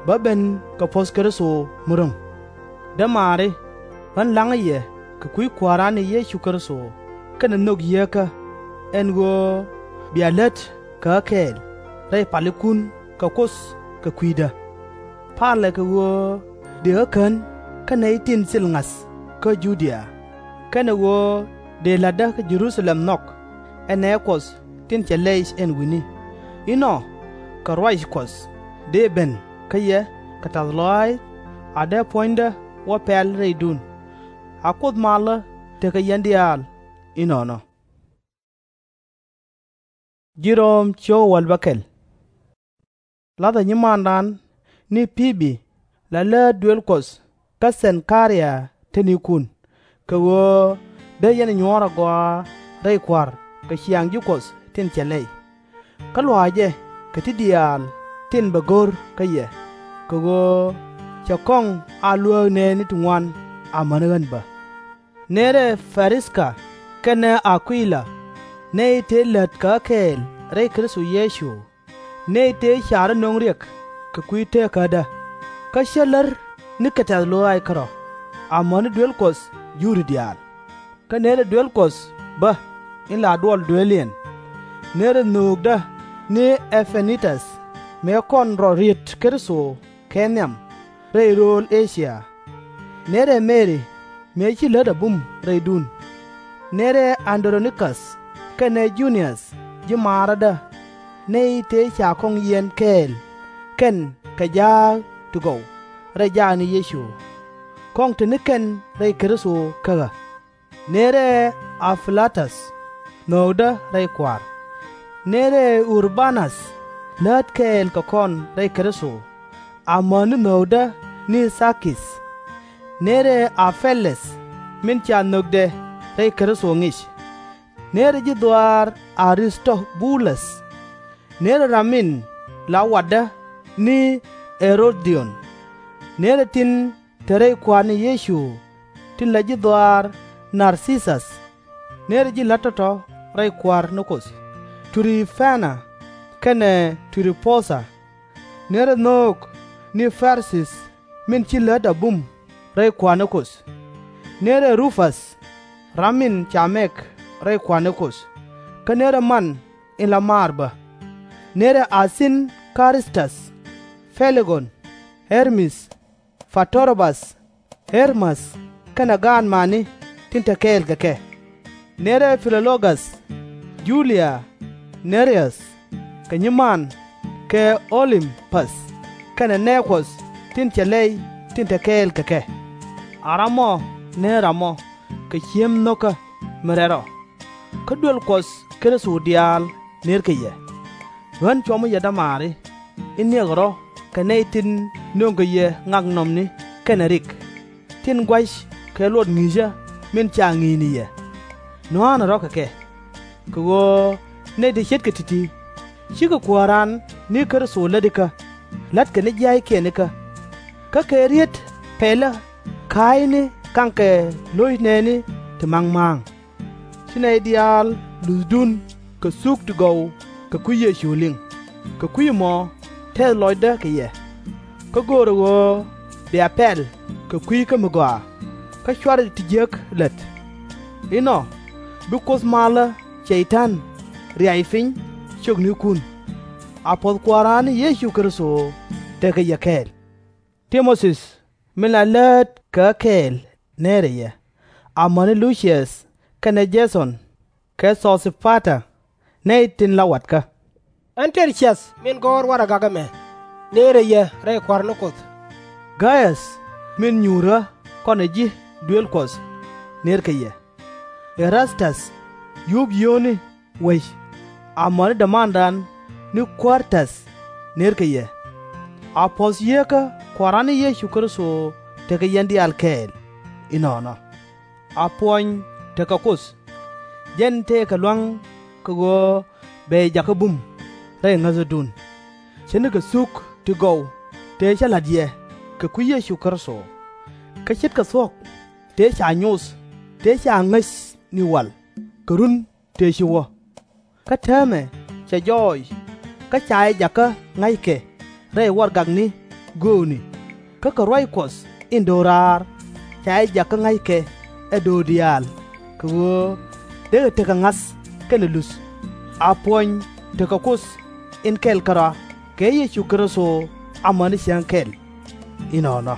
bä ben kɛ puɔ̱th Kritho mi ro̱ŋ. Dämaari, ɣän la̱ŋä yɛ kɛ kui̱ Kua̱ran ni Yecu Kritho kɛnɛ nhök Yieekä, ɛn ɣöö bia lät kɛ ɣä kɛɛl rɛy palikun kɛ Kuoth kɛ kui̱dä. Palɛ kɛ ɣöö dëë ɣä kän kä nɛy tin thil ŋa̱th kä Ju-dia, kɛnɛ ɣöö dëë la̱tdä kä Jɛ-ru-tha-lɛm nhɔk, ɛ nɛɛ Kuɔth tin cɛ lɛy ɛn wi̱ni. Inɔ, kɛ ruac Kuɔth dëë ben kä yɛ kɛ tɛ̈th lɔaac, a dee puɔ̱nydä wä pɛl rɛydun. A Kuoth malä tekɛ yɛn diaal inɔnɔ. Lathɛ nyimandan ni Pi-bi la läät duël Kuɔth kä Thɛn-ka-ria te nikun, kɛ ɣöö dee yɛn nyuɔ̱ɔ̱r agɔaa rɛy Kua̱r kɛ ciaŋ ji̱ Kuɔth tin cɛ lɛy. Kä lua̱a̱cɛ kɛ ti diaal tin bɛ go̱r kä yɛ, kɛ ɣöö cɛ kɔŋ a luääk nɛɛni ti ŋuan amäni ɣän bä. Nërɛ Pɛ-ris-ka kɛnɛ A-kui-la, nɛy tëë lät kɛ ɣä kɛɛl rɛy Kritho Yecu, nɛy tëë ca̱r ɛ nöŋ riɛk kɛ kui̱ teekädä, kä cä lär nikɛ tɛ̈th lɔaac kärɔ̱, amäni duel Kuɔth Juudh diaal. Kä nërɛ duel Kuɔth bä in la duɔl dueeliɛn. Nërɛ nhöökdä ni Ɛ-pɛ-ni-täth, mëë kɔn rɔ riet Kritho kɛ nhiam rɛy rööl E-cia. Nërɛ Meri, mëë ci lät a bum rɛydun. Nërɛ An-dro-ni-käth kɛnɛ Ju-niäth ji̱ maarädä, nɛy tëë ca kɔŋ yiɛn kɛɛl kɛn kɛ jaak ti gɔw rɛy jaakni Yecu, kɔŋ te ni kɛn rɛy Kritho kä ɣä. Nërɛ A-pi-lo-täth, nhökdä rɛy Kua̱r. Nërɛ Ur-ba-näth, läät kɛɛl kɛ kɔn rɛy Kritho, amäni nhökdä ni Thar-kith. Nërɛ A-pe-lɛth, min ca nhökdɛ rɛy Kritho ŋic. Nërɛ ji̱ dhɔaar A-ris-to-bu-läth. Nërɛ ram min la watdä ni Ɛ-ro-di-on. Nërɛ tin te rɛy Kua̱r ni Yecu, tin la ji̱ dhɔaar Nar-thi-thäth. Nërɛ ji̱ la̱t tɔ̱tɔ̱ rɛy Kua̱r ni Kuoth, Tri-pɛ-na kɛnɛ Tri-po-dha. Nërɛ nhöök ni Pɛr-sith, min ci lät a bum rɛy Kua̱r ni Kuoth. Nërɛ Ru-päth, ram min ca mɛk rɛy Kua̱r ni Kuoth, kä nërɛ man in la maar bä. Nërɛ A-sin-kri-täth, Pɛ-li-gon, Ɣer-mith, Pa-tro-bäth, Ɣer-mäth, kɛnɛ gaatmaani tin te kɛɛl kɛ kɛ. Nërɛ Pi-lo-gath, Ju-lia, Nɛ-ri-äth, kɛ nyiman, kɛ O-lim-päth, kɛnɛ nɛɛ Kuɔth tin cɛ lɛy tin te kɛɛl kɛ kɛ. A ram ɔ nër ram ɔ kɛ ciem nho̱kä mi rɛl rɔ. Kä duel Kuɔth Kritho diaal nërkɛ yɛ. Ɣän cuɔm yɛ dämaari in niɛkɛ rɔ̱ kɛ nɛy tin nööŋkɛ yɛ ŋaknɔmni kɛnɛ rik, tin gua̱c kɛ luɔt ŋi̱i̱cä min ca ŋi̱i̱c ni yɛ. Nua̱a̱nɛ rɔ̱ kɛ kɛ, kɛ ɣöö nɛy ti ce̱tkɛ ti̱ti̱, /cikɛ kuääran ni Kritho lätikä, la̱tkɛ ni jia̱a̱ckiɛn ikä. Kä kɛ riet pɛlä ka̱a̱cni ka̱ŋkɛ lo̱c nɛɛni ti ma̱ŋ ma̱a̱ŋ. Ci nɛy diaal luthdun kɛ thuk ti gɔw kɛ kui̱ Yecu liŋ, kɛ kui̱ ɛmɔ tɛth lɔcdä kɛ yɛ. Kä göörä ɣöö bia pɛl kɛ kui̱ kä mi gɔaa, kä /cuarɛ ti jiäk lät. Inɔ, bi Kuoth malä Cɛy-tan riac piny ciöknikun. A puɔ̱th Kua̱ran ni Yecu Kritho tekɛ yɛ kɛɛl. Ti-mo-thi min la läät kɛ ɣä kɛɛl nërɛ yɛ, amäni Lu-ciäth kɛnɛ Jɛ-thɔn, kɛ Thɔ-si-pa-ta, nɛy tin la watkä. Ɛ-ster-cäth min gɔ̱r warɛgak ɛmɛ nërɛ yɛ rɛy Kua̱r ni Kuoth. Gay-äth min nyuur ɣä kɔnɛ ji̱ duëël Kuɔth nërkɛ yɛ. Ɛ-rath-täth, yuup yio̱o̱ni wec, amäni dämandan ni Kua̱r-täth nërkɛ yɛ. A puɔ̱th Yieekä Kua̱ran ni Yecu Kritho tekɛ yɛn diaal kɛɛl inɔnɔ. A puɔny tekɛ Kuoth, jɛn tëëkɛ lua̱ŋ kɛ ɣöö bɛ yɛ jakä bum rɛy ŋäthädun, ce̱tnikɛ thuk ti gɔw tëë cä la̱t yɛ kɛ kui̱ Yecu Kritho. Kä ce̱tkɛ thuɔ̱k tëë ca nyoth tëë ca ŋäc ni wal kɛ run tëë ci wä. Kä täämɛ cɛ jɔɔc, kä ca jɛ jakä ŋa̱ckɛ rɛy warɛgakni göökni, kä kɛ ruac Kuɔth in do̱raar ca jɛ jakä ŋa̱ckɛ ɛ do̱r diaal, kɛ ɣöö dee kɛ tekɛ ŋa̱th kɛnɛ luth. A puɔny tekɛ Kuoth in kɛl kärɔa kɛ Yecu Kritho amäni cäŋ kɛl inɔnɔ.